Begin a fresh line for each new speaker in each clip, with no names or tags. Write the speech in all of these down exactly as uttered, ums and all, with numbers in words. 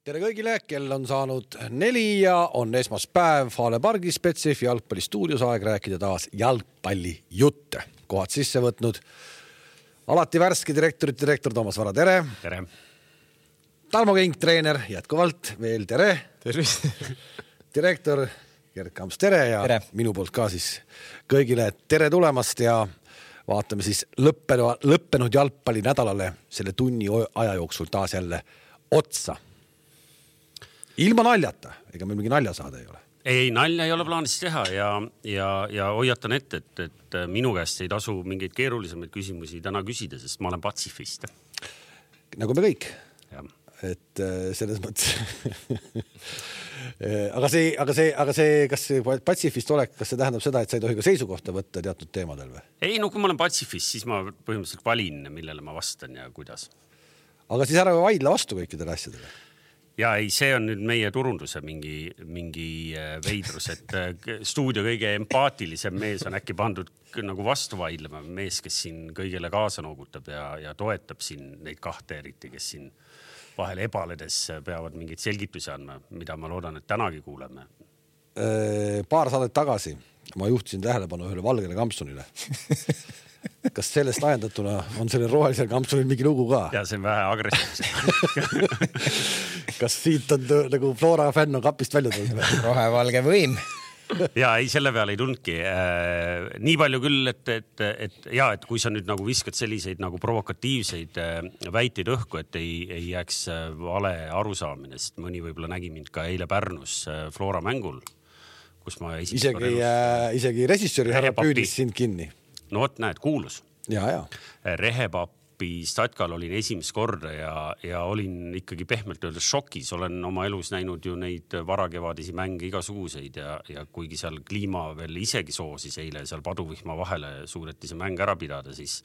Tere kõigile, kell on saanud neli ja on esmaspäev Fale Pargi Spetsif jalgpalli stuudios aeg rääkida taas jalgpalli jutte. Kohad sisse võtnud alati värski direktorit, direktor Toomas Vara, tere.
Tere.
Tarmo Kink, treener, jätkuvalt veel tere.
Tervist.
Direktor Gerd Kamps, tere ja tere. Minu poolt ka siis kõigile tere tulemast ja vaatame siis lõppenud, lõppenud jalgpalli nädalale selle tunni aja jooksul taas jälle otsa. Ilma naljata, ega meil mingi nalja saada ei ole.
Ei, nalja ei ole plaanis teha ja, ja, ja hoiatan ette, et, et minu käest ei tasu mingeid keerulisemaid küsimusi täna küsida, sest ma olen patsifist.
Nagu me kõik.
Ja.
Et selles mõttes... aga see, aga see, aga see, kas see patsifist olek, kas see tähendab seda, et sa ei tohi ka seisukohta võtta teatud teemadel või?
Ei, no kui ma olen patsifist, siis ma põhimõtteliselt valin, millele ma vastan ja kuidas.
Aga siis ära vaidla vastu kõikidele asjadele.
Ja ei, see on nüüd meie turunduse mingi, mingi veidrus, et stuudio kõige empaatilisem mees on äkki pandud nagu vastu vaidlema. Mees, kes siin kõigele kaasa noogutab ja, ja toetab siin neid kahte eriti, kes siin vahel ebaledes peavad mingid selgitusi andma, mida ma loodan, et tänagi kuuleme.
Paar saadet tagasi ma juhtisin tähelepanu ühele valgele kampsunile. Kas sellest ajendatuna on selle rohelisel kampsunil mingi lugu ka?
Ja see on vähe agressiivne.
Kas siit on nagu Flora fänn on kapist välja tulnud?
Rohevalge võim.
Ja ei, selle peale ei tundki. Nii palju küll, et, et, et, ja, et kui sa nüüd nagu viskad selliseid nagu provokatiivseid väiteid õhku, et ei, ei jääks vale arusaamine, sest mõni võibolla nägi mind ka eile Pärnus Flora mängul, kus ma
isegi, äh, isegi resissööri härra püüdis sind kinni.
No vot, näed, kuulus.
Ja, ja.
Rehepapi statkal olin esimest korda ja, ja olin ikkagi pehmelt öeldes šokis. Olen oma elus näinud ju neid varakevadisi mänge igasuguseid ja, ja kuigi seal kliima veel isegi soosis eile, seal paduvihma vahele suureti see mäng ära pidada, siis,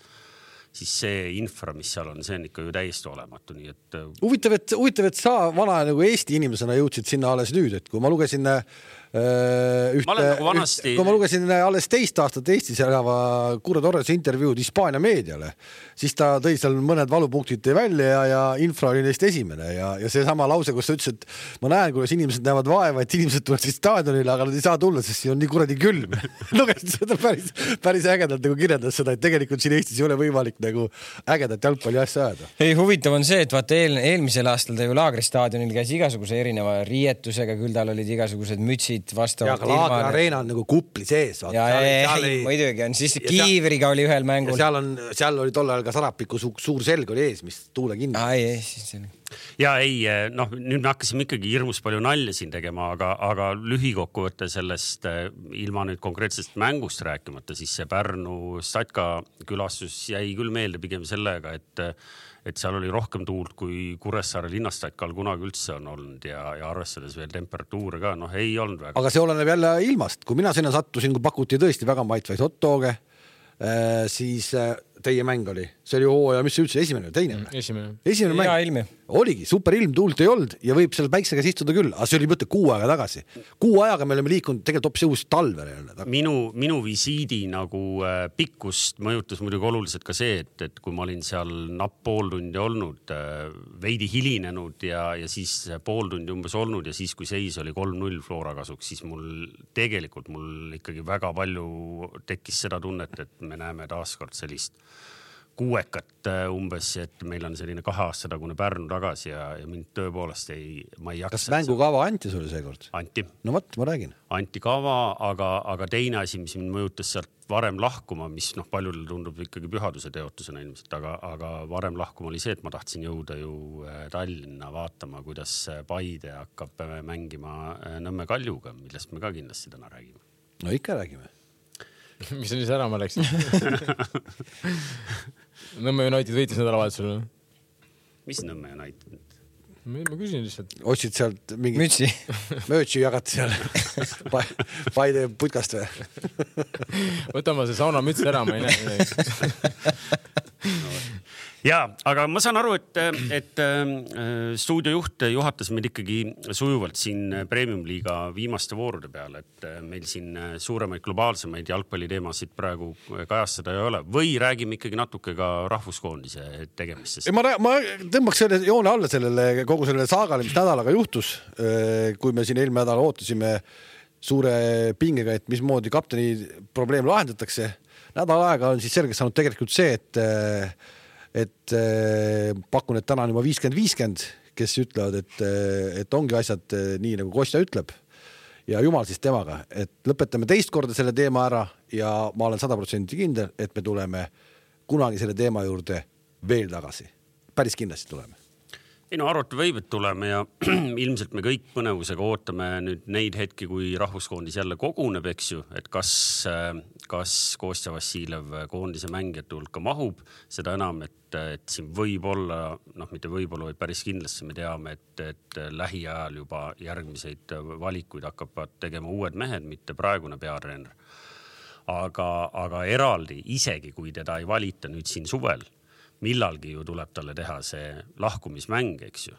siis see infra, mis seal on, see on ikka ju täiesti olematu. Nii et...
Huvitav, et, huvitav, et sa vana nagu Eesti inimesena jõudsid sinna alles nüüd, et kui ma lugesin Ühte,
ma nagu vanasti...
üht, kui ma lugesin alles teist aastat Eestis elava Kurre Torrese intervjuud Hispaania meediale, siis ta tõi seal mõned valupunktid tõi välja ja, ja infra oli neist esimene ja, ja see sama lause, kus ta ütles, et ma näen, kuidas inimesed näevad vaeva, et inimesed tulevad siis staadionile, aga nad ei saa tulla, sest siin on nii kuradi külm. Lugesin seda päris, päris ägedalt nagu kirjeldas seda, et tegelikult siin Eestis ei ole võimalik nagu ägedat jalgpalli asja ajada.
Ei, huvitav on see, et vaata eel, eelmisel aastal ta ju Laagristaadionil käis igasuguse erineva riietusega, küll tal olid igasugused mütsid vastavalt.
Ja Laagri areena on nagu kupli sees.
Vaata. Ja seal, ei, seal ei, muidugi on. Siis Kiivriga oli ühel mängul.
Seal, on, seal oli tollal ka Sarapiku su, suur selg oli ees, mis tuule kinni.
Ai, ei, siis oli.
Ja ei, noh, nüüd me hakkasime ikkagi hirmus palju nalja siin tegema, aga, aga lühikokkuvõtte sellest ilma nüüd konkreetsest mängust rääkimata, siis see Pärnu Statka külastus jäi küll meelde pigem sellega, et et seal oli rohkem tuult kui Kuressaare linnastatkal kunagi üldse on olnud ja, ja arvestades veel temperatuure ka, noh ei olnud väga.
Aga see oleneb jälle ilmast. Kui mina sinna sattusin, kui pakuti tõesti väga maitvaid hot-doge, siis teie mäng oli. See oli hooaja, mis see üldse, esimene või teine?
Esimene.
Esimene mäng.
Ja ilmi.
Oligi, super ilm, tuult ei olnud ja võib seal päikse käes istuda küll, aga see oli mõte kuu aega tagasi. Kuu ajaga me oleme liikunud tegelikult hoopis uusi talve.
Minu, minu visiidi nagu pikkust mõjutas muidugi oluliselt ka see, et, et kui ma olin seal napp pool tundi olnud, veidi hilinenud ja, ja siis pool tundi umbes olnud ja siis kui seis oli kolm null Flora kasuks, siis mul tegelikult mul ikkagi väga palju tekkis seda tunnet, et me näeme taaskord sellist kuuekat umbes, et meil on selline kahe aasta tagune Pärnu tagasi ja, ja mind tõepoolest ei, ma ei jaksa.
Kas mängukava anti sulle seekord?
Anti.
No võt, ma räägin.
Anti kava, aga, aga teine asi, mis mind mõjutas sealt varem lahkuma, mis noh, paljudel tundub ikkagi pühaduse teotusena ilmselt, aga, aga varem lahkuma oli see, et ma tahtsin jõuda ju Tallinna vaatama, kuidas Paide hakkab mängima Nõmme Kaljuga, millest me ka kindlasti täna räägime.
No ikka räägime.
Mis on siis ära ma läksin? Nõmme United võitis nädalavahetusel.
Mis Nõmme United?
Ma küsin lihtsalt.
Otsid sealt mingi...
Mütsi.
Möötsi jagati seal Paide putkast või?
Võtame see sauna müts ära, ma ei näe.
Ja, aga ma saan aru, et, et stuudiojuht juhatas meid ikkagi sujuvalt siin Premium-liiga viimaste voorude peale, et meil siin suuremaid globaalsemaid jalgpalliteemasid praegu kajastada ei ole. Või räägime ikkagi natuke ka rahvuskoondise tegemistest?
Ma, ma tõmbaks selle joone alla sellele, kogu sellele saagale, mis nädalaga juhtus, kui me siin eelmine nädal ootasime suure pingega, et mismoodi kapteni probleem lahendatakse. Nädal aega on siis selgeks saanud tegelikult see, et et pakun, et täna on juba viiskümmend viiskümmend, kes ütlevad, et, et ongi asjad nii, nagu Kostja ütleb ja jumal siis temaga, et lõpetame teist korda selle teema ära ja ma olen sada protsenti kindel, et me tuleme kunagi selle teema juurde veel tagasi. Päris kindlasti tuleme.
Ei no arvata võib, et tuleme ja ilmselt me kõik põnevusega ootame nüüd neid hetki, kui rahvuskoondis jälle koguneb, eks ju, et kas, kas Kostja Vassiljev koondise mängijate hulka mahub, seda enam, et, et siin võib olla, noh, mitte võib-olla, vaid päris kindlasti me teame, et, et lähiajal juba järgmiseid valikuid hakkavad tegema uued mehed, mitte praegune peatreener. Aga, aga eraldi, isegi kui teda ei valita nüüd siin suvel, millalgi ju tuleb talle teha see lahkumismäng, eks ju.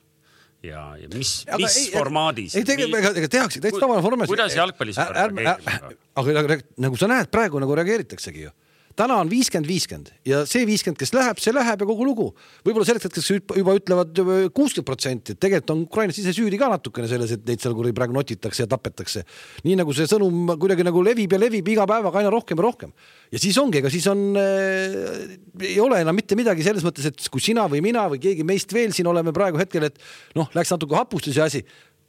Ja, ja mis, mis ei, formaadis?
Ei, tegelikult ega tehakse, täitsa tavaline formaadis.
Kuidas jalgpallis reageeritakse?
Aga nagu sa näed, praegu nagu reageeritaksegi ju. Täna on viiskümmend viiskümmend ja see viiskümmend, kes läheb, see läheb ja kogu lugu. Võib-olla selleks, kes juba ütlevad kuuskümmend protsenti, et tegelikult on Ukrainas ise süüdi ka natukene selles, et neid seal kuri praegu notitakse ja tapetakse. Nii nagu see sõnum kuidagi nagu levib ja levib iga päevaga aina rohkem ja rohkem. Ja siis ongi, ega siis on, äh, ei ole enam mitte midagi selles mõttes, et kui sina või mina või keegi meist veel siin oleme praegu hetkel, et noh, läks natuke hapustus ja asi.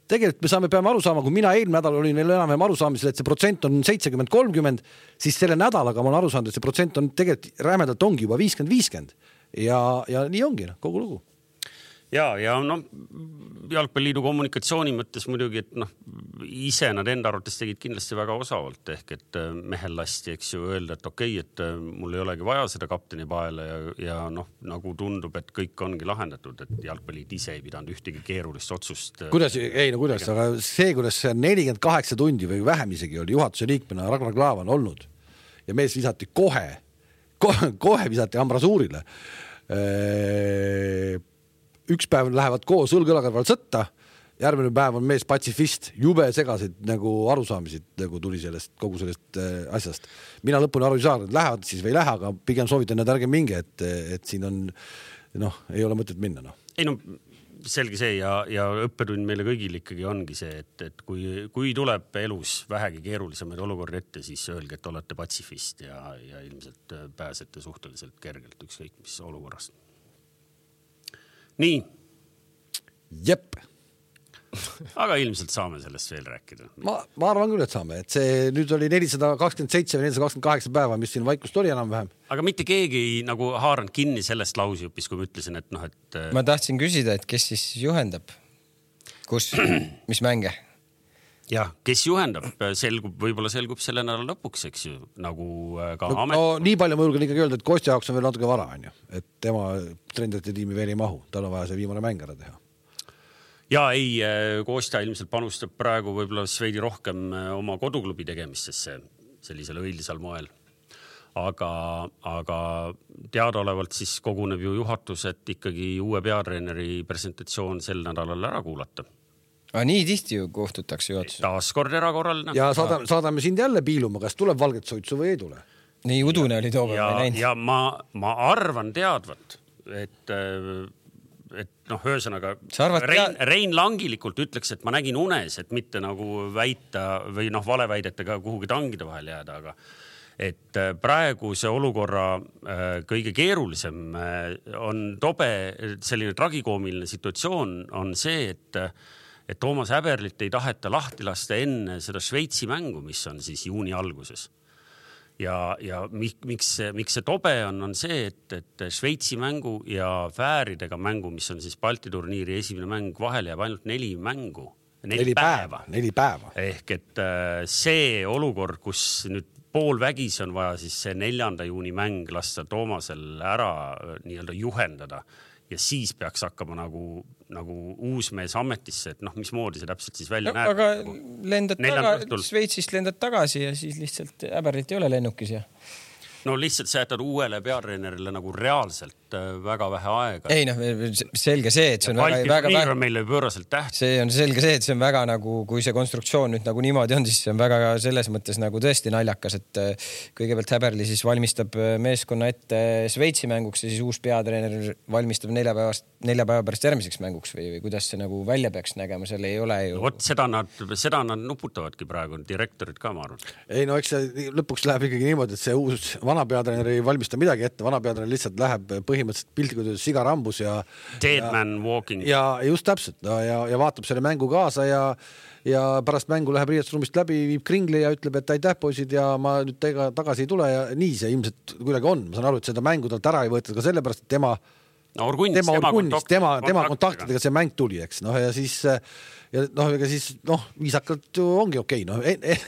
Tegelikult me saame, peame aru saama, kui mina eelmine nädal olin enam-vähem aru saamisel, et see protsent on seitsekümmend kolmkümmend, siis selle nädalaga ma olen aru saanud, et see protsent on tegelikult rämedalt ongi juba viiskümmend viiskümmend ja, ja nii ongi kogu lugu.
Ja, ja noh, Jalgpalliliidu kommunikatsiooni mõttes muidugi, et noh, ise nad enda arvates tegid kindlasti väga osavalt ehk, et mehel lasti, eks ju, öelda, et okei, et mul ei olegi vaja seda kapteni paele ja, ja noh, nagu tundub, et kõik ongi lahendatud, et Jalgpalliliit ise ei pidanud ühtegi keerulist otsust.
Kuidas, ei no kuidas, aga see, kuidas see nelikümmend kaheksa tundi või vähem isegi oli juhatuse liikmena Ragnar Klavan olnud ja mees visati kohe, kohe, kohe visati ambrasuurile. Eee üks päev lähevad koos õlgõlaga sõtta, järgmine päev on mees patsifist, jube segasid nagu arusaamisid nagu tuli sellest, kogu sellest äh, asjast. Mina lõpuni aru ei saa, et lähevad siis või ei lähe, aga pigem soovitan need ärge minge, et, et siin on, noh, ei ole mõtet minna. No.
Ei no, selge see ja, ja õppetund meile kõigil ikkagi ongi see, et, et kui, kui tuleb elus vähegi keerulisemaid olukordi ette, siis öelge, et olete patsifist ja, ja ilmselt pääsete suhteliselt kergelt ükskõik mis olukorrast. Nii.
Jep.
Aga ilmselt saame sellest veel rääkida.
Ma, ma arvan küll, et saame. Et see nüüd oli nelisada kakskümmend seitse või nelisada kakskümmend kaheksa päeva, mis siin vaikust oli enam vähem.
Aga mitte keegi ei nagu haaranud kinni sellest lausjupis, kui ma ütlesin, et noh, et...
Ma tahtsin küsida, et kes siis juhendab? Kus? Mis mänge?
Ja, kes juhendab? Selgub, võib-olla selgub selle nädala lõpuks, eks ju, nagu ka
no,
amet.
No, nii palju ma julgen ikkagi öelda, et Kostja jaoks on veel natuke vara, on ju. Et tema trendite tiimi veel ei mahu. Tal on vaja see viimane mäng ära teha.
Ja ei, Kostja ilmselt panustab praegu võib-olla veidi rohkem oma koduklubi tegemistesse sellisel õildisal moel. Aga, aga teadaolevalt siis koguneb ju juhatus, et ikkagi uue peatreeneri presentatsioon sel nädalal ära kuulata.
Aga nii tihti ju kohtutakse juhatus.
Taas kord erakorraline.
Ja saadame, saadame sind jälle piiluma, kas tuleb valget soitsu või ei tule.
Nii udune oli toobe
ja,
või näinud.
Ja ma, ma arvan teadvat, et, et noh, ühesõnaga Rein, Rein Langilikult ütleks, et ma nägin unes, et mitte nagu väita või noh, valeväidetega kuhugi tangide vahel jääda, aga et praegu see olukorra kõige keerulisem on tobe, selline tragikoomiline situatsioon on see, et et Toomas Häberlit ei taheta lahti lasta enne seda Šveitsi mängu, mis on siis juuni alguses. Ja, ja miks, miks see tobe on, on see, et, et Šveitsi mängu ja Fääridega mängu, mis on siis Balti turniiri esimene mäng, vahel jääb ainult neli mängu. Neli,
neli päeva. päeva. Neli päeva.
Ehk et see olukord, kus nüüd pool vägis on vaja siis see neljanda juuni mäng lasta Toomasel ära nii-öelda juhendada ja siis peaks hakkama nagu, nagu uus mees ametisse, et noh, mismoodi see täpselt siis välja no, näeb.
Aga lendad taga, Šveitsist lendad tagasi ja siis lihtsalt Häberlit ei ole lennukis ja...
No lihtsalt sa jätad uuele peatreenerile nagu reaalselt tegelikult väga vähe aega.
Ei noh, selge see, et see on
Balti
väga, väga,
väga meile pööraselt täht.
See on selge see, et see on väga nagu, kui see konstruktsioon nüüd nagu niimoodi on, siis see on väga selles mõttes nagu tõesti naljakas, et kõigepealt Häberli siis valmistab meeskonna ette Šveitsi mänguks ja siis uus peatreener valmistab nelja päevast, nelja päeva pärast järgmiseks mänguks või, või kuidas see nagu välja peaks nägema, seal ei ole ju.
Vot seda nad, seda nad nuputavadki praegu, direktorid ka ma arvan.
Ei no eks see lõpuks läheb ikkagi niimoodi, et see uus vana peatreener ei valmista midagi ette, vana peatreener lihtsalt läheb põhimõtteliselt piltlikult sigarambus ja
Dead
ja,
man walking.
Ja just täpselt no, ja, ja vaatab selle mängu kaasa ja ja pärast mängu läheb riietusruumist läbi, viib kringli ja ütleb, et aitäh poisid ja ma nüüd tega tagasi ei tule ja nii see ilmselt kuidagi on. Ma saan aru, et seda mängu talt ära ei võetud ka sellepärast, et tema
no, Orgunnis,
tema,
tema,
kontakt, tema, tema kontaktidega see mäng tuli, eks. No ja siis ja noh, ega siis noh, viisakalt ju ongi okei. No, eh, eh,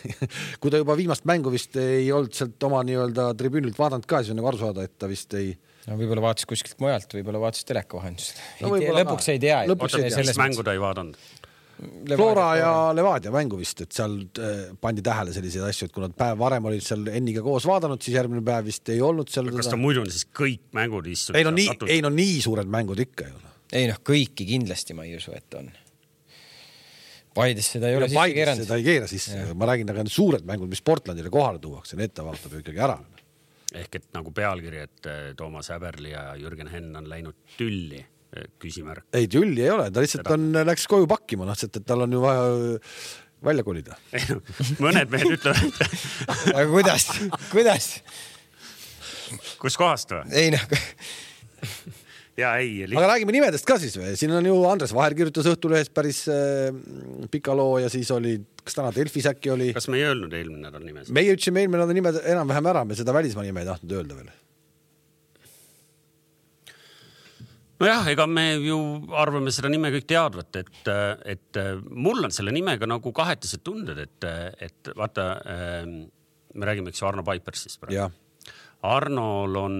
kui ta juba viimast mängu vist ei olnud sealt oma nii-öelda tribüünilt vaadanud ka, siis on nagu aru saada, et ta vist ei
no võib-olla vaatas kuskilt mujalt, võib-olla vaatas teleka vahendusel.
No,
lõpuks ei tea.
Lõpuks ei tea, mis mängu ta ei vaadanud.
Flora ja Levadia mängu vist, et seal pandi tähele selliseid asju, et kui nad päev varem olid seal Enniga koos vaadanud, siis järgmine päev vist ei olnud seal.
Kas ta muidu on siis kõik mängud istud?
Ei no nii, ei no nii suured mängud ikka ju.
Ei noh, kõiki kindlasti ma ei usu, et on. Paides seda ei ole
sisse keeranud. Seda ei keera sisse. Ja. Ma räägin, aga need suured mängud, mis Portlandile kohale tuuakse, need ta vaatab ju ikkagi ära.
Ehk et nagu pealkiri, et Toomas Häberli ja Jürgen Henn on läinud tülli. Küsimärk. Ei, tülli ei ole, ta lihtsalt on, läks koju pakkima, noh, et tal on ju vaja välja kolida. Mõned mehed ütlevad.
Aga kuidas? Kuidas?
Kus kohast või?
Ei noh.
Ja ei.
Aga räägime nimedest ka siis või? Siin on ju Andres Vaher kirjutas Õhtulehest päris äh, pika loo ja siis oli, kas täna Delfis äkki oli?
Kas me ei öelnud eelmine nädal nimes?
Meie ütlesime eelmine nädal nimed enam-vähem ära, me seda välismaa nime ei tahtnud öelda veel.
Nojah, ega me ju arvame seda nime kõik teadvat, et, et mul on selle nimega nagu kahetised tunded, et, et vaata, me räägime eks Arno Paipersist praegu. Arnol on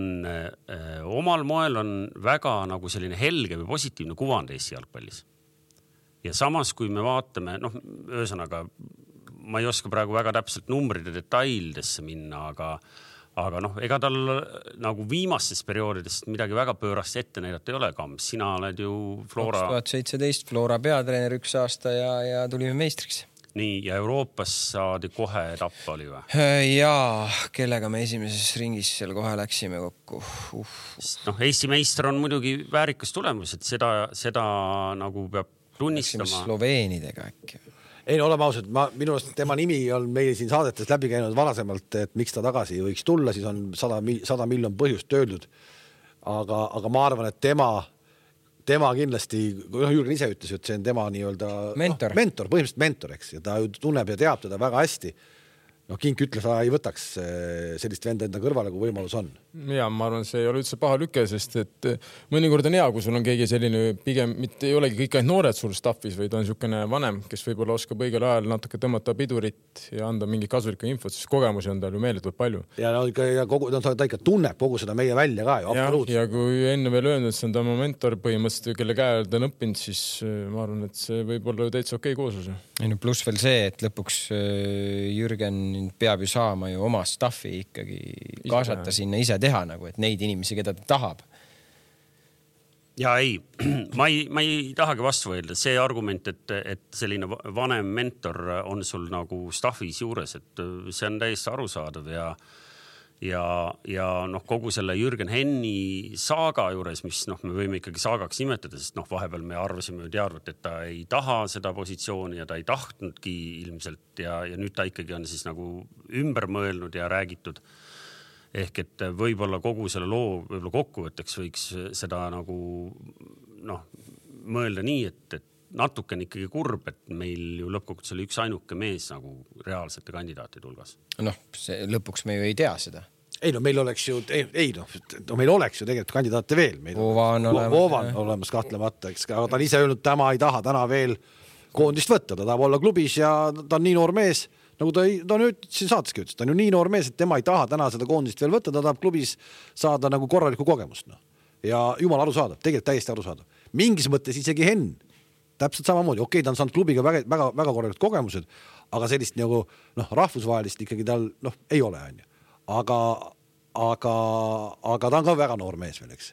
omal moel on väga nagu selline helge või positiivne kuvand Eesti jalgpallis. Ja samas, kui me vaatame, noh, ühesõnaga, ma ei oska praegu väga täpselt numbride detaildesse minna, aga Aga noh, ega tal nagu viimastest perioodidest midagi väga pöörast ette näidata ei ole, Kams. Sina oled ju Flora...
kaks tuhat seitseteist Flora peatreener üks aasta ja, ja tulime meistriks.
Nii, ja Euroopas saadi kohe etapp oli või?
Jaa, kellega me esimeses ringis seal kohe läksime kokku. Uh.
Noh, Eesti meister on muidugi väärikas tulemus, et seda, seda nagu peab tunnistama.
Läksime Sloveenidega äkki.
Ei no oleme ausad, ma, minu arust tema nimi on meil siin saadetes läbi käinud varasemalt, et miks ta tagasi võiks tulla, siis on sada, sada miljon põhjust öeldud. Aga, aga ma arvan, et tema, tema kindlasti, noh, Jürgen ise ütles, et see on tema nii-öelda
mentor,
no, mentor põhimõtteliselt mentor, eks, ja ta tunneb ja teab teda väga hästi. Noh, Kink ütles, ta ei võtaks sellist venda enda kõrvale, kui võimalus on.
Ja ma arvan, see ei ole üldse paha lüke, sest et mõnikord on hea, kui sul on keegi selline pigem, mitte ei olegi kõik ainult noored sul staffis, vaid on niisugune vanem, kes võib-olla oskab õigel ajal natuke tõmmata pidurit ja anda mingi kasulikku infot, sest kogemusi on tal ju meeletult palju.
Ja, no, ja kogu, no, ta ikka tunneb kogu seda meie välja ka ju, absoluutselt.
Ja, ja kui enne veel öelnud, et see on ta mentor põhimõtteliselt, kelle käe ta on õppinud, siis ma arvan, et see võib olla täitsa okei kooslus.
Ei no pluss veel see, et lõpuks Jürgen peab ju saama ju oma staffi ikkagi kaasata sinna ise teha nagu, et neid inimesi, keda ta tahab.
Ja ei, ma ei, ma ei tahagi vastu võelda. See argument, et, et selline vanem mentor on sul nagu staffis juures, et see on täiesti arusaadav ja ja, ja noh, kogu selle Jürgen Henni saaga juures, mis noh, me võime ikkagi saagaks nimetada, sest noh, vahepeal me arvasime ju teadvat, et ta ei taha seda positsiooni ja ta ei tahtnudki ilmselt ja, ja nüüd ta ikkagi on siis nagu ümber mõelnud ja räägitud. Ehk et võib-olla kogu selle loo võib-olla kokkuvõtteks võiks seda nagu noh, mõelda nii, et, et natuke on ikkagi kurb, et meil ju lõppkokkuvõttes oli üks ainuke mees nagu reaalsete kandidaatide hulgas.
Noh, see, lõpuks me ju ei tea seda.
Ei no meil oleks ju, ei, ei noh, no meil oleks ju tegelikult kandidaate veel.
Voova on olemas.
Voova on olemas kahtlemata, eks, aga ta on ise öelnud, tema ei taha täna veel koondist võtta, ta tahab olla klubis ja ta on nii noor mees, nagu ta, ta on nüüd siin saateski ütles, ta on ju nii noor mees, et tema ei taha täna seda koondist veel võtta, ta tahab klubis saada nagu korralikku kogemust. No. Ja jumal arusaadav, tegelikult täiesti arusaadav. Mingis mõttes isegi Henn, täpselt samamoodi, okei, ta on saanud klubiga väga, väga, väga korralikud kogemused, aga sellist nagu noh, rahvusvahelist ikkagi tal noh, ei ole, on ju. Aga, aga, aga ta on ka väga noor mees veel, eks.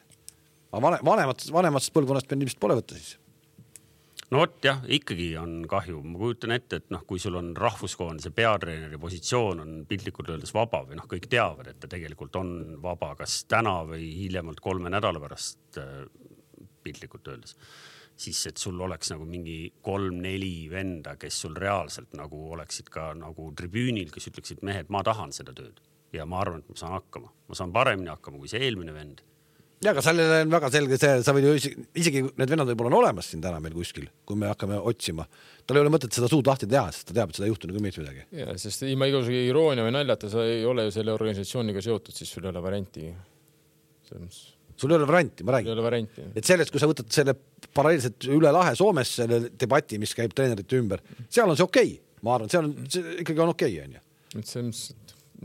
aga vanemat, vanematest põlvkonnast meil ilmselt pole võtta siis.
No vot jah, ikkagi on kahju. Ma kujutan ette, et noh, kui sul on rahvuskoondise peatreeneri positsioon on piltlikult öeldes vaba või noh, kõik teavad, et ta tegelikult on vaba, kas täna või hiljemalt kolme nädala pärast piltlikult öeldes. Siis, et sul oleks nagu mingi kolm-neli venda, kes sul reaalselt nagu oleksid ka nagu tribüünil, kes ütleksid mehed, ma tahan seda tööd ja ma arvan, et ma saan hakkama. Ma saan paremini hakkama kui see eelmine vend. Ja, aga sellele on väga selge see, sa võid ju isegi need vennad võib-olla on olemas siin täna meil kuskil, kui me hakkame otsima. Tal ei ole mõtet seda suud lahti teha, sest ta teab, et seda ei juhtu nagu mitte midagi.
Ja, sest ilma igasuguse iroonia või naljata sa ei ole ju selle organisatsiooniga seotud, siis sul ei ole varianti.
Sul ei ole varianti, ma räägin.
Ei ole varianti.
Et sellest, kui sa võtad selle paralleelselt üle lahe Soomes selle debati, mis käib treenerite ümber, seal on see okei. Ma arvan, seal on, see ikkagi on okei. On ju.
Et see,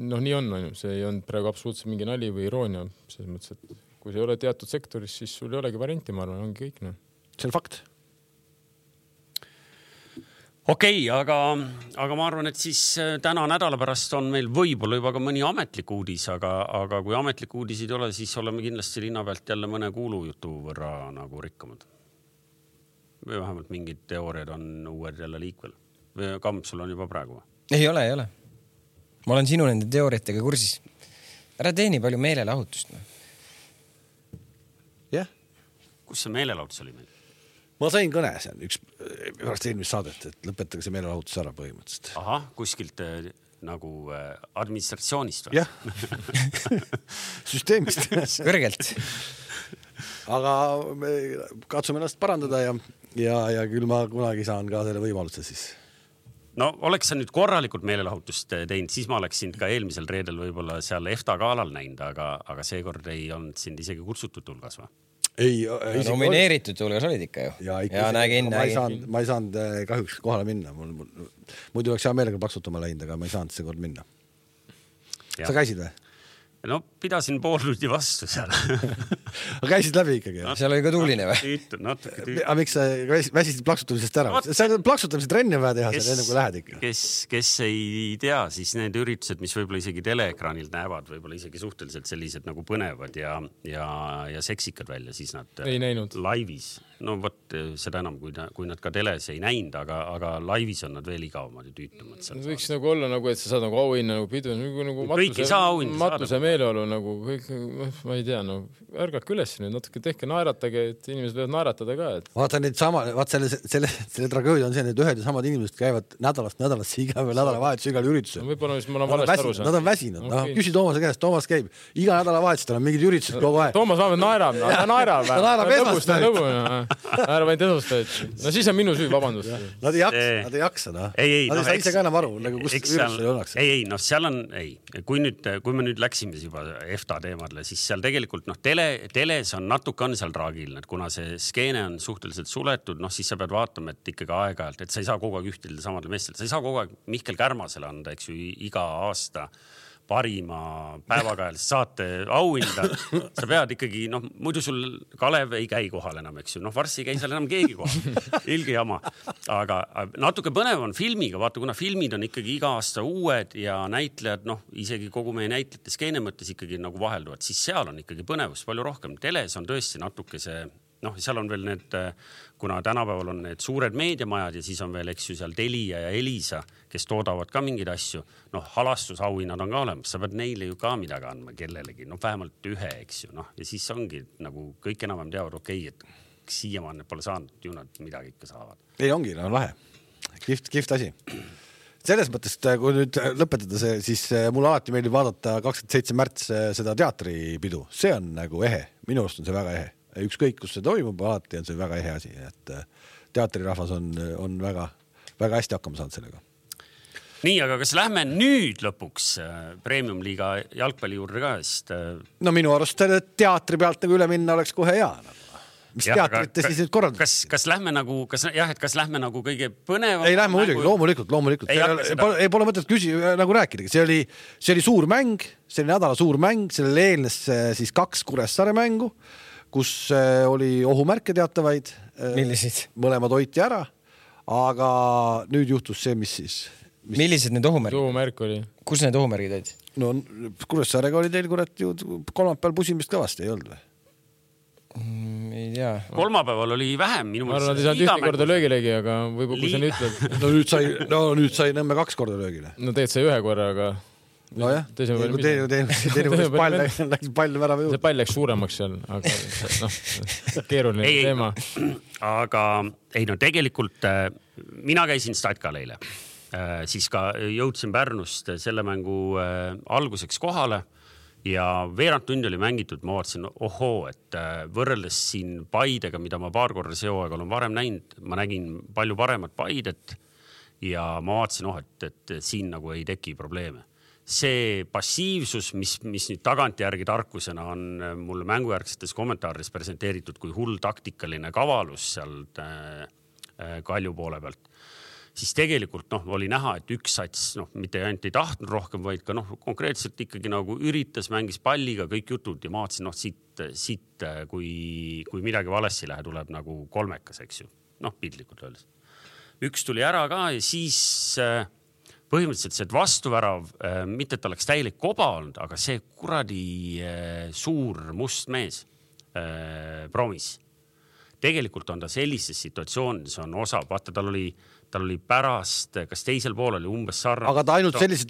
noh, nii on, on ju. See ei on praegu absoluutselt mingi nali või iroonia. Selles mõttes, et kui see ei ole teatud sektoris, siis sul ei olegi varianti, ma arvan, ongi kõik. No.
See on fakt.
Okei, okay, aga, aga ma arvan, et siis täna nädala pärast on meil võib-olla juba ka mõni ametlik uudis, aga, aga kui ametlik uudisid ei ole, siis oleme kindlasti linna pealt jälle mõne kuulujutu võrra nagu rikkamad. Või vähemalt mingid teooriad on uued jälle liikvel. Või Kamp, sul on juba praegu?
Ei ole, ei ole. Ma olen sinu nende teooriatega kursis. Ära teeni palju meelelahutust. No.
Jah.
Kus see meelelahutus oli meil?
Ma sain kõne, see on üks pärast eelmist saadet, et lõpetage see meelelahutus ära põhimõtteliselt.
Aha, kuskilt äh, nagu äh, administratsioonist või?
Jah, süsteemist.
Kõrgelt.
Aga me katsume ennast parandada ja, ja, ja küll ma kunagi saan ka selle võimaluse siis.
No oleks sa nüüd korralikult meelelahutust teinud, siis ma oleks sind ka eelmisel reedel võib-olla seal EFTA galal näinud, aga, aga seekord ei olnud sind isegi kutsutud tulgas või?
Ei,
ei, nomineeritud hulgas olid ikka ju.
Ja, ikka, ja nägin, ma, ei saanud, ma ei saanud kahjuks kohale minna. Mul, mul, muidu oleks hea meelega plaksutama läinud, aga ma ei saanud see kord minna. Ja. Sa käisid või?
No pidasin pool tundi vastu seal.
Aga käisid läbi ikkagi?
No, seal oli ka tuuline või?
Aga miks sa väsisid plaksutamisest ära? No, see on plaksutamise trenni vaja teha kes, seal enne kui lähed ikka.
Kes, kes ei tea, siis need üritused, mis võib-olla isegi teleekraanilt näevad, võib-olla isegi suhteliselt sellised nagu põnevad ja, ja, ja seksikad välja, siis nad
ei näinud.
Laivis. No võt, seda enam, kui, ta, kui nad ka teles ei näinud, aga, aga laivis on nad veel igavamad ja tüütumad.
Võiks nagu olla, nagu, et sa saad nagu auhinna nagu pidu, nagu, nagu matuse, matuse meeleolu, nagu kõik, ma ei tea, no ärgake üles nüüd, natuke tehke naeratage, et inimesed võivad naeratada ka. Et...
Vaata nüüd sama, vaat selle, selle, selle tragöödia on see, et ühed ja samad inimesed käivad nädalast nädalasse iga või nädalavahetus igal üritusel.
No, võib-olla, mis ma olen valesti aru saanud.
Nad on väsinud.
Okay.
No, küsi Toomase käest, Toomas käib. Iga nädalavahetus tal on mingid üritused kogu aeg.
Toomas vähemalt naerab, ta naerab.
Ta naerab esmaspäev.
Ära vaid edustajad. No siis on minu süü, vabandust.
Nad ei jaksa, nad ei jaksa. No.
Ei, ei,
nad
no,
ei saa ise ka enam aru, nagu kus üritusel ollakse.
Ei, ei, no seal on, ei. Kui, nüüd, kui me nüüd läksime juba EFTA teemadle, siis seal tegelikult noh, tele, teles on natuke on seal traagilne, et kuna see skeene on suhteliselt suletud, noh siis sa pead vaatama, et ikkagi aeg-ajalt, et sa ei saa kogu aeg ühtildada samadele meestele. Sa ei saa kogu aeg Mihkel Kärmasele anda, eks ju, iga aasta parima päevakajalist saate auhinda. Sa pead ikkagi, noh, muidu sul Kalev ei käi kohal enam, eks ju. Noh, varsti ei käi seal enam keegi kohal. Ilge jama. Aga natuke põnev on filmiga. Vaata, kuna filmid on ikkagi iga aasta uued ja näitlejad, noh, isegi kogu meie näitlejate skeene mõttes ikkagi nagu vahelduvad, siis seal on ikkagi põnevust palju rohkem. Teles on tõesti natuke see, noh, seal on veel need, kuna tänapäeval on need suured meediamajad ja siis on veel, eks ju, seal Telia ja Elisa, kes toodavad ka mingeid asju. Noh, halastusauhinnad on ka olemas. Sa pead neile ju ka midagi andma kellelegi. Noh, vähemalt ühe, eks ju. Noh, ja siis ongi nagu kõik enam teavad, okei, et siiamaan need pole saanud, ju nad midagi ikka saavad.
Ei ongi, no lahe. Kift, kift asi. Selles mõttes, kui nüüd lõpetada see, siis mul alati meeldib vaadata kakskümmend seitse märts seda teatripidu. See on nagu ehe. Minu arust on see väga ehe. Ükskõik, kus see toimub, alati on see väga ehe asi. Et teatrirahvas on, on väga, väga hästi hakkama saanud sellega.
Nii, aga kas lähme nüüd lõpuks Premium-liiga jalgpalli juurde ka? Sest...
No minu arust teatri pealt nagu üle minna oleks kohe hea. Mis ja, teatrite siis nüüd korraldab?
Kas, kas lähme nagu, kas, jah, et kas lähme nagu kõige põnevam?
Ei lähme muidugi, loomulikult, loomulikult. Ei, ei, pole, ei pole mõtet küsi, nagu rääkida. See oli, see oli suur mäng, see oli nädala suur mäng, sellele eelnes siis kaks Kuressaare mängu, kus oli ohumärke teatavaid.
Millised?
Mõlemad hoiti ära, aga nüüd juhtus see, mis siis...
Mis... Millised need ohumärgid?
Ohumärk oli.
Kus need ohumärgid olid?
No Kuressaarega oli teil kurat ju kolmapäeval pusimist kõvasti, ei olnud või?
Ei tea.
Kolmapäeval oli vähem minu
ma arvan, et ei saanud ühte korda löögilegi, aga võib-olla kui sa nüüd ütled.
No nüüd sai, no nüüd sai Nõmme kaks korda löögile.
No teed sai ühe korra, aga
no jah, teine pall läks pall värava juurde.
See pall läks suuremaks seal, aga noh, keeruline ei, teema.
Aga ei no tegelikult mina käisin Statkal eile. Siis ka jõudsin Pärnust selle mängu alguseks kohale ja veerand tundi oli mängitud. Ma vaatasin, ohoo, et võrreldes siin Paidega, mida ma paar korda see hooaeg olen varem näinud, ma nägin palju paremat Paidet ja ma vaatasin, oh, et, et siin nagu ei teki probleeme. See passiivsus, mis, mis nüüd tagantjärgi tarkusena on mulle mängujärgsetes kommentaarides presenteeritud kui hull taktikaline kavalus sealt äh, Kalju poole pealt, siis tegelikult noh, oli näha, et üks sats noh, mitte ainult ei tahtnud rohkem, vaid ka noh, konkreetselt ikkagi nagu üritas, mängis palliga kõik jutud ja ma vaatasin, noh, siit, siit kui, kui midagi valesti lähe, tuleb nagu kolmekas, eks ju. Noh, pildlikult öeldes. Üks tuli ära ka ja siis äh, põhimõtteliselt see vastuvärav, mitte et oleks täielik koba olnud, aga see kuradi suur must mees Promis. Tegelikult on ta sellises situatsioonides on osa, vaata tal oli, tal oli pärast, kas teisel pool oli umbes sarnane.
Aga ta ainult sellise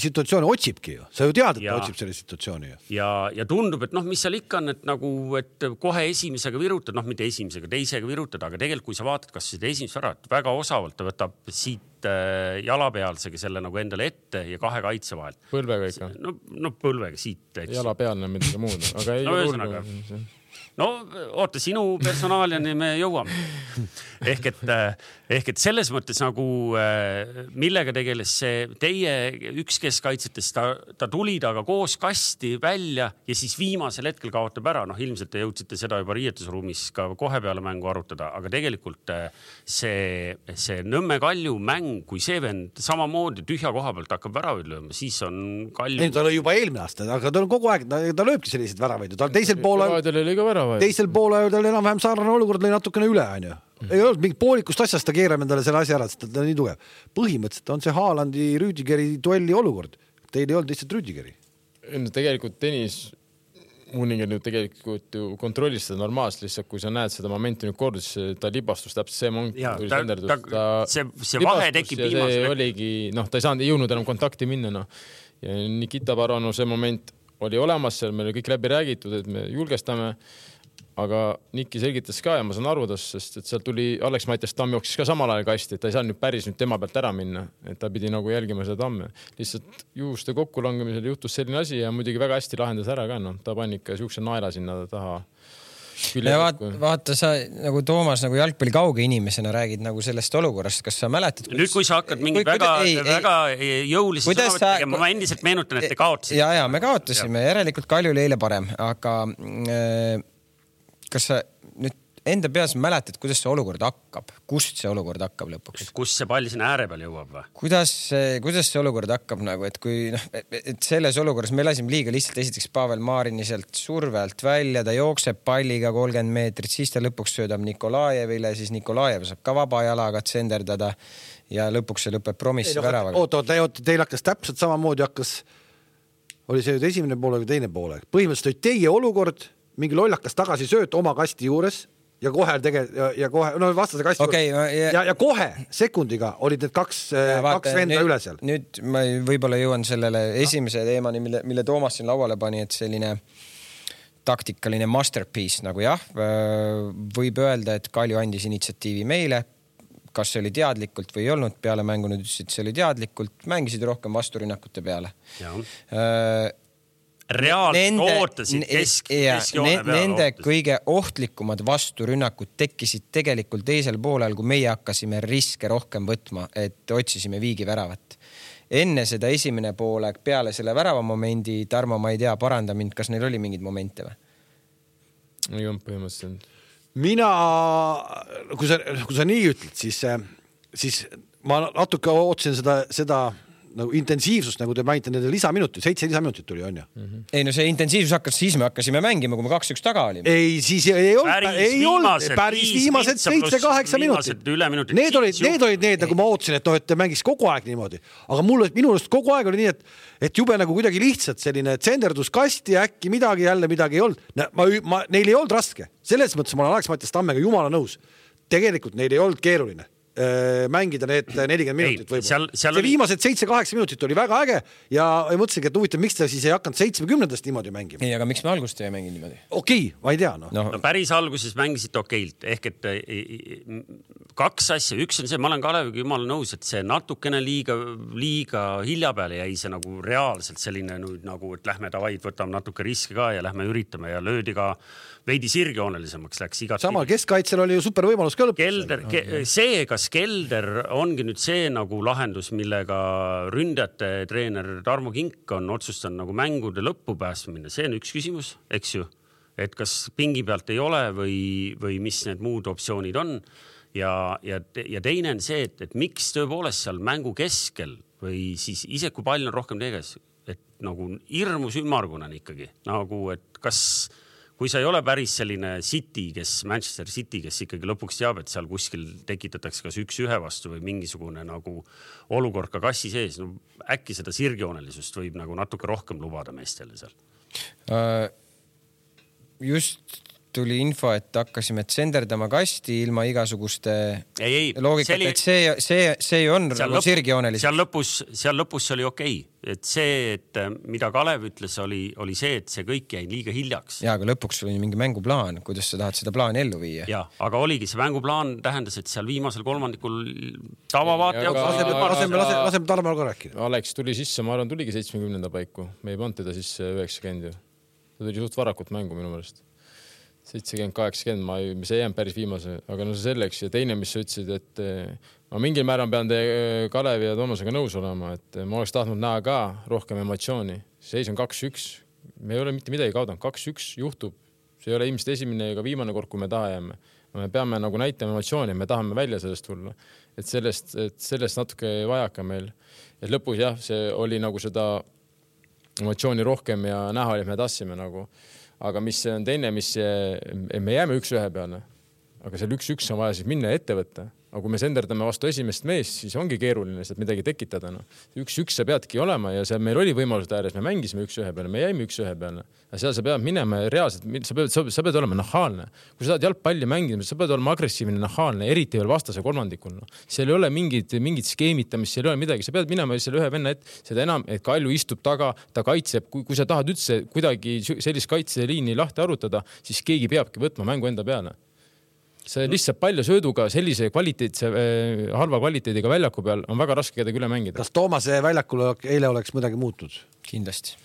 situatsiooni otsibki ju. Sa ju tead, et ja, ta otsib sellise situatsiooni ju.
Ja, ja tundub, et noh, mis seal ikka on, et nagu, et kohe esimesega virutad, noh, mitte esimesega, teisega virutad, aga tegelikult kui sa vaatad, kas seda esimest ära, et väga osavalt ta võtab siit jalapealsega selle nagu endale ette ja kahe kaitse vahel.
Põlvega ikka.
No, no põlvega siit.
Jalapealne midagi muud, aga ei
no, ühesõnaga. No oota, sinu personaaliani me jõuame. Ehk et, ehk et selles mõttes nagu millega tegeles see teie üks keskkaitsetest, ta, ta tuli taga koos kasti välja ja siis viimasel hetkel kaotab ära. Noh, ilmselt te jõudsite seda juba riietusruumis ka kohe peale mängu arutada, aga tegelikult see, see Nõmme Kalju mäng, kui see vend samamoodi tühja koha pealt hakkab väravaid lööma, siis on Kalju...
Ei, ta oli juba eelmine aasta, aga ta on kogu aeg, ta, ta lööbki sellised väravaid. Ta teisel poole... Teisel poole ta oli enam-vähem saarane olukord, oli natukene üle, on ju. Ei olnud mingit poolikust asjast, ta keerab endale selle asja ära, sest ta on nii tugev. Põhimõtteliselt on see Haalandi Rüdigeri duelli olukord. Teil ei olnud lihtsalt Rüdigeri.
Tegelikult tennis Uuninger nüüd tegelikult ju kontrollis seda normaalselt, lihtsalt kui sa näed seda momenti nüüd kordus, ta libastus täpselt see moment,
ja,
tuli
ta,
senderdus.
Ta, ta see, see vahe tekib viimasel.
See oligi, noh, ta ei saanud, ei jõudnud enam kontakti minna, noh. Ja Nikita Barano see moment oli olemas seal, meil oli kõik läbi räägitud, et me julgestame, aga Niki selgitas ka ja ma saan arudas, sest et seal tuli Alex Mattias Tamm jooksis ka samal ajal kasti, et ta ei saa nüüd päris nüüd tema pealt ära minna, et ta pidi nagu jälgima seda Tamme. Lihtsalt juhuste kokkulangemisel juhtus selline asi ja muidugi väga hästi lahendas ära ka, noh, ta pani ikka siukse naela sinna taha.
Ja vaata, vaata, sa nagu Toomas nagu jalgpalli kauge inimesena räägid nagu sellest olukorrast, kas sa mäletad?
Nüüd, kui sa hakkad mingi väga, ei, väga jõulisi sõnavõtt tegema, ma endiselt meenutan, et te kaotasite.
Ja, ja, me kaotasime, ja. Järelikult Kalju oli eile parem, aga äh, kas sa nüüd enda peas mäletad, kuidas see olukord hakkab? Kust see olukord hakkab lõpuks?
Et kus see pall sinna ääre peal jõuab või?
Kuidas, kuidas see olukord hakkab nagu, et kui noh, et selles olukorras me lasime liiga lihtsalt esiteks Pavel Maarini sealt survelt välja, ta jookseb palliga kolmkümmend meetrit, siis ta lõpuks söödab Nikolajevile, siis Nikolajev saab ka vaba jalaga tsenderdada ja lõpuks see lõpeb Promisse no, väravaga.
Oota, oota, teil hakkas täpselt samamoodi hakkas, oli see nüüd esimene poole või teine poole. Põhimõtteliselt oli teie olukord, mingi lollakas tagasi sööt oma kasti juures ja kohe tege, ja, ja kohe, no vastase kasti
okay,
juures. Ja, ja, ja kohe sekundiga olid need kaks, vaata, kaks venda
nüüd,
üle seal.
Nüüd ma võib-olla jõuan sellele esimese teemani, mille, mille Toomas siin lauale pani, et selline taktikaline masterpiece nagu jah, võib öelda, et Kalju andis initsiatiivi meile, kas see oli teadlikult või ei olnud, peale mängu nüüd ütlesid, see oli teadlikult, mängisid rohkem vasturünnakute peale.
Jah. Reaalselt ootasid kesk, keskjoone
peale. Nende ootasid. Kõige ohtlikumad vasturünnakud tekkisid tegelikult teisel poolel, kui meie hakkasime riske rohkem võtma, et otsisime viigi väravat. Enne seda esimene poolek, peale selle värava momendi, Tarmo, ma ei tea, paranda mind, kas neil oli mingid momente või?
Ei olnud põhimõtteliselt.
Mina, kui sa, kui sa nii ütled, siis, siis ma natuke ootsin seda, seda nagu intensiivsust, nagu te mainite nende lisaminutit, seitse lisaminutit tuli, on ju?
Mm-hmm. Ei no see intensiivsus hakkas, siis me hakkasime mängima, kui me kaks üks taga olime.
Ei, siis ei olnud,
päris
ei olnud, päris viimased seitse kaheksa minutit. Need olid, need olid need, nagu ma ootasin, et, no, et te mängis kogu aeg niimoodi. Aga mulle, minulest kogu aeg oli nii, et, et jube nagu kuidagi lihtsalt selline tsenderdus kasti ja äkki midagi, jälle midagi ei olnud. Ma, ma, neil ei olnud raske. Selles mõttes ma olen Alex Mattias Tammega jumala nõus. Tegelikult neil ei olnud keeruline mängida need nelikümmend minutit võib-olla. Seal, seal see oli... viimased seitse kaheksa minutit oli väga äge ja mõtlesingi, et huvitav, miks ta siis ei hakanud seitsmekümnendast niimoodi mängima.
Ei, aga miks me algust ei mängi niimoodi?
Okei, ma ei tea. No.
No. No, päris alguses mängisite okeilt. Ehk et kaks asja. Üks on see, ma olen Kaleviga jumala nõus, et see natukene liiga, liiga hilja peale jäi see nagu reaalselt selline nüüd nagu, et lähme tavaid, võtame natuke riske ka ja lähme üritame ja löödi ka veidi sirgjoonelisemaks läks igat.
Samal keskkaitsel oli ju super võimalus ka lõpuks.
Kelder, ke, see, kas Kelder ongi nüüd see nagu lahendus, millega ründajate treener Tarmo Kink on otsustanud nagu mängude lõppu päästma minna. See on üks küsimus, eks ju, et kas pingi pealt ei ole või, või mis need muud optsioonid on. Ja, ja, ja teine on see, et, et miks tõepoolest seal mängu keskel või siis ise kui palju on rohkem teges, et nagu hirmus ümmargunen ikkagi, nagu et kas... Kui sa ei ole päris selline City, kes Manchester City, kes ikkagi lõpuks teab, et seal kuskil tekitatakse kas üks ühe vastu või mingisugune nagu olukord ka kassi sees, no äkki seda sirgjoonelisust võib nagu natuke rohkem lubada meestele seal?
Uh, just tuli info, et hakkasime tsenderdama kasti ilma igasuguste
ei, ei,
loogikat, oli... et see, see, see on nagu sirgjoonelis.
Seal lõpus, seal lõpus oli okei. Et see, et mida Kalev ütles, oli, oli see, et see kõik jäi liiga hiljaks.
Ja, aga lõpuks oli mingi mänguplaan, kuidas sa tahad seda plaani ellu viia.
Ja, aga oligi see mänguplaan tähendas, et seal viimasel kolmandikul tavavaate ja,
ja, laseme, laseme, laseme, laseme Tarmal ka rääkida.
Alex tuli sisse, ma arvan, tuligi seitsmekümnenda paiku. Me ei pannud teda sisse üheksakümmend. Ta tuli suht varakult mängu minu meelest. seitsekümmend kaheksakümmend, ma ei, see ei jäänud päris viimase, aga no see selleks ja teine, mis sa ütlesid, et ma mingil määral pean te Kalevi ja Toomasega nõus olema, et ma oleks tahtnud näha ka rohkem emotsiooni. Seis on kaks üks, me ei ole mitte midagi kaudanud, kaks üks juhtub, see ei ole ilmselt esimene ega viimane kord, kui me taha jääme. Me peame nagu näitama emotsiooni, me tahame välja sellest tulla, et sellest, et sellest natuke vajaka meil. Et lõpus jah, see oli nagu seda emotsiooni rohkem ja näha oli, et me tassime nagu. Aga mis on teine, mis me jääme üks ühe peale, aga seal üks üks on vaja siis minna ette võtta. Aga kui me senderdame vastu esimest meest, siis ongi keeruline sealt midagi tekitada. No. Üks üks sa peadki olema ja seal meil oli võimalused ääres, me mängisime üks ühe peale, me jäime üks ühe peale. Aga seal sa pead minema reaalselt, sa pead, sa pead olema nahaalne. Kui sa saad jalgpalli mängida, sa pead olema agressiivne, nahaalne, eriti veel vastase kolmandikul. No. Seal ei ole mingid, mingid skeemitamist, seal ei ole midagi. Sa pead minema selle ühe venna, et seda enam, et Kalju istub taga, ta kaitseb. Kui, kui sa tahad üldse kuidagi sellist kaitseliini lahti arutada, siis keegi peabki võtma mängu enda peale. See lihtsalt palju sööduga sellise kvaliteetse, halva kvaliteediga väljaku peal on väga raske kedagi üle mängida.
Kas Toomase väljakul eile oleks midagi muutud?
Kindlasti.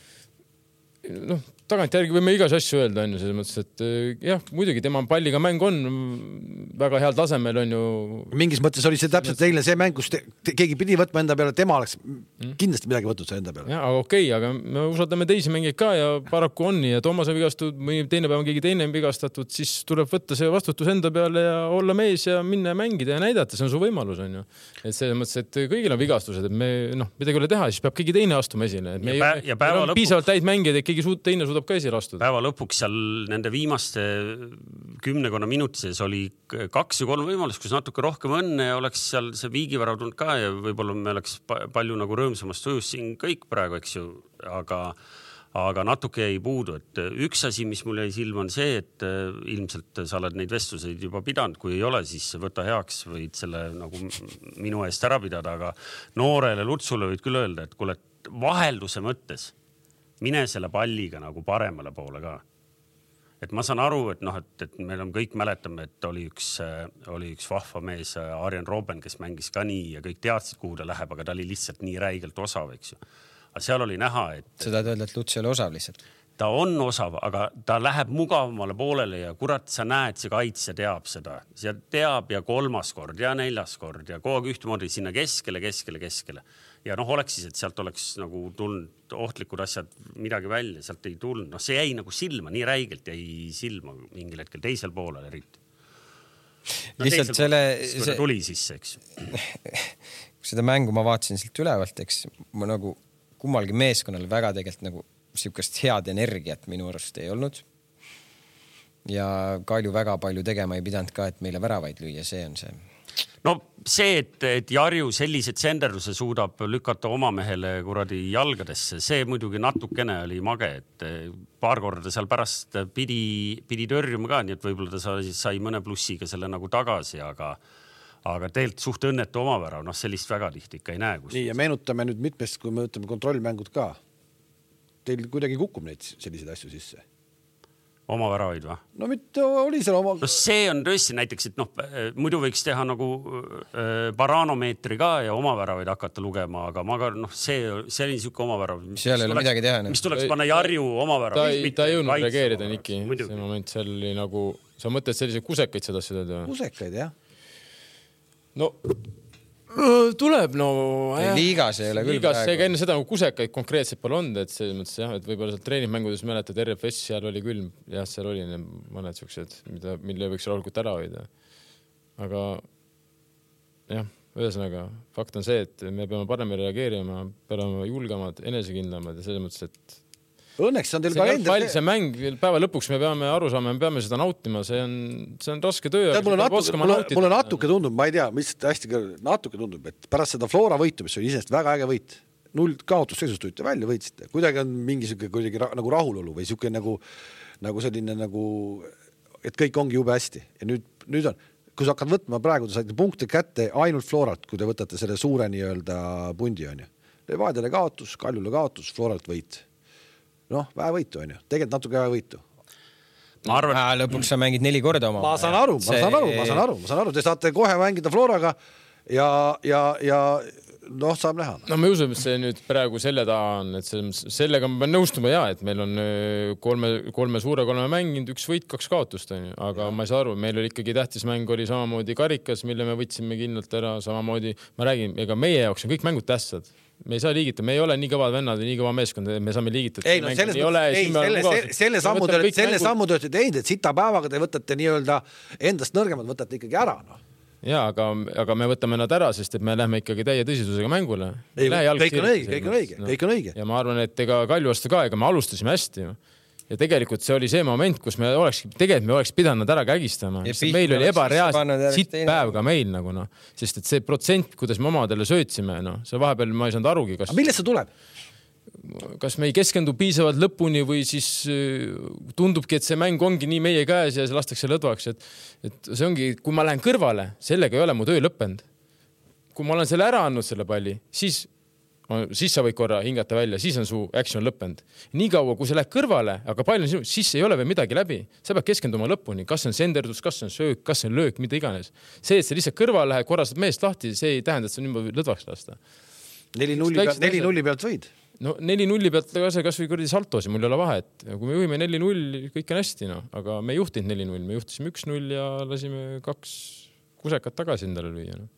Noh, tagantjärgi võime igas asju öelda, on ju, selles mõttes, et jah, muidugi tema palliga mäng on väga heal tasemel, on ju.
Mingis mõttes oli see täpselt eile see mäng, kus te, te, keegi pidi võtma enda peale, tema oleks kindlasti midagi võtnud see enda peale.
Ja, aga okei, aga me usaldame teisi mängeid ka ja paraku on ja Toomase vigastud, või teine päev on keegi teine vigastatud, siis tuleb võtta see vastutus enda peale ja olla mees ja minna ja mängida ja näidata, see on su võimalus, on ju. Et selles mõttes, et kõigil on vigastused, et me, noh, midagi ei ole teha, siis peab keegi teine astuma esile. Et me ja ei, pä- ja piisavalt täid mängida, et keegi suud, teine suudab ka esile astuda.
Päeva lõpuks seal nende viimaste kümnekonna minutises oli kaks ja kolm võimalust, kus natuke rohkem õnne ja oleks seal see viigivärv tulnud ka ja võib-olla me oleks palju nagu rõõmsamast tujus siin kõik praegu, eks ju, aga, aga natuke jäi puudu. Et üks asi, mis mul jäi silma on see, et ilmselt sa oled neid vestluseid juba pidanud, kui ei ole, siis võta heaks, võid selle nagu minu eest ära pidada, aga noorele Lutsule võid küll öelda, et kuule, vahelduse mõttes mine selle palliga nagu paremale poole ka. Et ma saan aru, et noh, et, et meil on kõik mäletame, et oli üks, oli üks vahva mees, Arjen Robben, kes mängis ka nii ja kõik teadsid, kuhu ta läheb, aga ta oli lihtsalt nii räigelt osav, eks ju. Aga seal oli näha, et...
Seda öelda, et Luts ei ole osav lihtsalt.
Ta on osav, aga ta läheb mugavamale poolele ja kurat, sa näed, see kaitse teab seda. See teab ja kolmas kord ja neljas kord ja kogu aeg ühtemoodi sinna keskele, keskele, keskele. Ja noh, oleks siis, et sealt oleks nagu tulnud ohtlikud asjad midagi välja, sealt ei tulnud. Noh, see jäi nagu silma, nii räigelt jäi silma mingil hetkel teisel poolel eriti. no,
lihtsalt selle
see... tuli sisse, eks.
Seda mängu ma vaatasin silt ülevalt, eks ma nagu kummalgi meeskonnal väga tegelikult nagu siukest head energiat minu arust ei olnud. Ja Kalju väga palju tegema ei pidanud ka, et meile väravaid lüüa, see on see.
No see, et, et Jarju sellised senderduse suudab lükata oma mehele kuradi jalgadesse, see muidugi natukene oli mage, et paar korda seal pärast pidi, pidi törjuma ka, nii et võib-olla ta sai, sai mõne plussiga selle nagu tagasi, aga, aga tegelikult suht õnnetu omavärav, noh sellist väga tihti ikka ei näe. Kus.
Nii ja meenutame nüüd mitmest, kui me ütleme kontrollmängud ka. Teil kuidagi kukub neid selliseid asju sisse.
Oma väravaid või?
No mitte oli seal oma...
No see on tõesti näiteks, et noh, muidu võiks teha nagu äh, paraanomeetri ka ja oma väravaid hakata lugema, aga ma ka, noh, see, see oli niisugune oma värav.
Seal ei ole midagi teha.
Mis tuleks panna Jarju oma värav.
Ta, ta ei jõudnud reageerida, Niki. See moment seal oli nagu, sa mõtled selliseid kusekaid seda seda?
Kusekaid, jah.
No... tuleb, no
ei, liigas ei ole küll
liigas, see enne seda nagu kusekaid konkreetselt pole olnud, et selles mõttes jah, et võib-olla seal treeningmängudes mäletad R F S seal oli küll, jah, seal oli mõned siuksed, mida, mille võiks rahulikult ära hoida. Aga jah, ühesõnaga fakt on see, et me peame paremini reageerima, peame julgemad, enesekindlamad ja selles mõttes, et
õnneks on teil
see, kalender... see mäng päeva lõpuks me peame aru saama, me peame seda nautima, see on, see on raske töö.
Mulle natuke, mulle, mulle natuke tundub, ma ei tea, mis hästi natuke tundub, et pärast seda Flora võitu, mis oli isest väga äge võit, null kaotusseisust tulite välja, võitsite. Kuidagi on mingisugune kuidagi nagu rahulolu või siuke nagu, nagu selline nagu, et kõik ongi jube hästi. Ja nüüd, nüüd on, kui sa hakkad võtma praegu, te saite punkte kätte ainult Floralt, kui te võtate selle suure nii-öelda pundi on ju. Levadiale kaotus, Kaljule kaotus, Floralt võit. Noh, vähe võitu on ju. Tegelikult natuke vähe võitu.
Ma arvan,
ja, lõpuks sa mängid neli korda oma.
Ma saan aru, ma saan aru, ma saan aru, ma saan aru. Te saate kohe mängida Floraga ja, ja, ja noh, saab näha.
No me usume, et see nüüd praegu selle taha on, et sellega ma pean nõustuma ja, et meil on kolme, kolme suure kolme mänginud, üks võit, kaks kaotust on ju. Aga ja. Ma ei saa aru, meil oli ikkagi tähtis mäng oli samamoodi karikas, mille me võtsime kindlalt ära, samamoodi, ma räägin, ega meie jaoks on kõik mängud tähtsad. Me ei saa liigita, me ei ole nii kõvad vennad või nii kõva meeskond, me saame liigitada.
Ei, no selles mõttes, ei, selle, selle sammu te selle sammu te olete teinud, et sita päevaga te võtate nii-öelda endast nõrgemad, võtate ikkagi ära. No.
Jaa, aga, aga me võtame nad ära, sest et me lähme ikkagi täie tõsisusega mängule.
Ei, kõik on õige, kõik on õige, no. kõik on õige.
Ja ma arvan, et ega Kalju vastu ka, ega me alustasime hästi. Ja tegelikult see oli see moment, kus me oleks, tegelikult me oleks pidanud ära kägistama. Meil oli ebareaalselt sitt päev ka meil nagu noh. Sest et see protsent, kuidas me omadele söötsime, noh, see vahepeal ma ei saanud arugi. Kas,
millest see tuleb?
Kas me ei keskendu piisavalt lõpuni või siis tundubki, et see mäng ongi nii meie käes ja see lastakse lõdvaks. Et, et see ongi, kui ma lähen kõrvale, sellega ei ole mu töö lõppenud. Kui ma olen selle ära andnud selle palli, siis siis sa võid korra hingata välja, siis on su action lõppenud. Nii kaua, kui sa lähed kõrvale, aga palju sinu, siis ei ole veel midagi läbi. Sa pead keskenduma lõpuni, kas on senderdus, kas on söök, kas on löök, mida iganes. See, et sa lihtsalt kõrvale lähed, korrastad meest lahti, see ei tähenda, et sa niimoodi lõdvaks lasta.
Neli nulli pealt, neli nulli pealt võid?
No neli nulli pealt kas või kuradi saltosi, mul ei ole vahe. Et kui me juhime neli null, kõik on hästi, no. Aga me ei juhtinud neli null, me juhtisime üks null ja lasime kaks kusekat tagasi endale lüüa. No.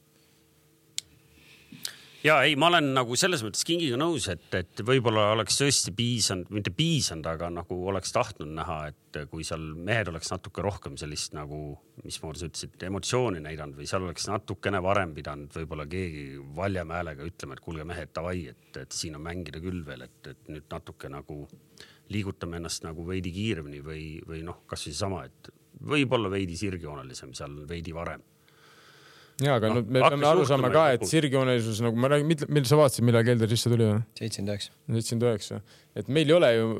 Ja ei, ma olen nagu selles mõttes Kingiga nõus, et, et võib-olla oleks tõesti piisanud, mitte piisanud, aga nagu oleks tahtnud näha, et kui seal mehed oleks natuke rohkem sellist nagu, mis ma sa ütlesid, emotsiooni näidanud või seal oleks natukene varem pidanud võib-olla keegi valjama häälega ütlema, et kuulge mehed, tavai, et, et siin on mängida küll veel, et, et nüüd natuke nagu liigutame ennast nagu veidi kiiremini või, või noh, kas või sama, et võib-olla veidi sirgjoonalisem seal veidi varem.
Jaa, aga no, me peame aru saama ka, et sirgjoonelisus, nagu ma räägin, mille sa vaatasid, millal Kelder sisse tuli?
seitsekümmend üheksa.
seitsekümmend üheksa. Et meil ei ole ju,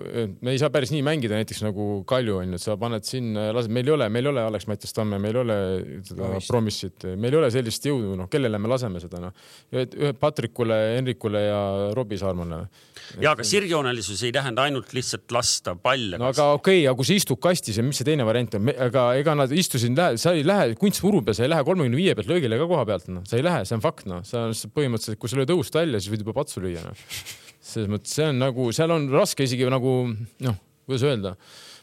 me ei saa päris nii mängida näiteks nagu Kalju on, et sa paned sinna, lased, meil ei ole, meil ei ole Alex Mattias Tamme, meil ei ole seda promissit, meil ei ole sellist jõudu, noh, kellele me laseme seda, noh. Ühe Patrikule, Henrikule ja Robbie Saarmale.
Ja, aga sirgjoonelisus ei tähenda ainult lihtsalt lasta palle.
No aga okei, okay, aga kui sa istud kastis ja mis see teine variant on, aga ega nad istusid, sa ei lähe kunstmuru peal, sa ei lähe kolmekümne viie pealt löögile ka koha pealt, no. Sa ei lähe, see on fakt, no. Sa põhimõtteliselt, kui sa lööd õust välja, siis võid juba patsu lüüa, no. Selles mõttes, see on nagu, seal on raske isegi nagu, noh, kuidas öelda.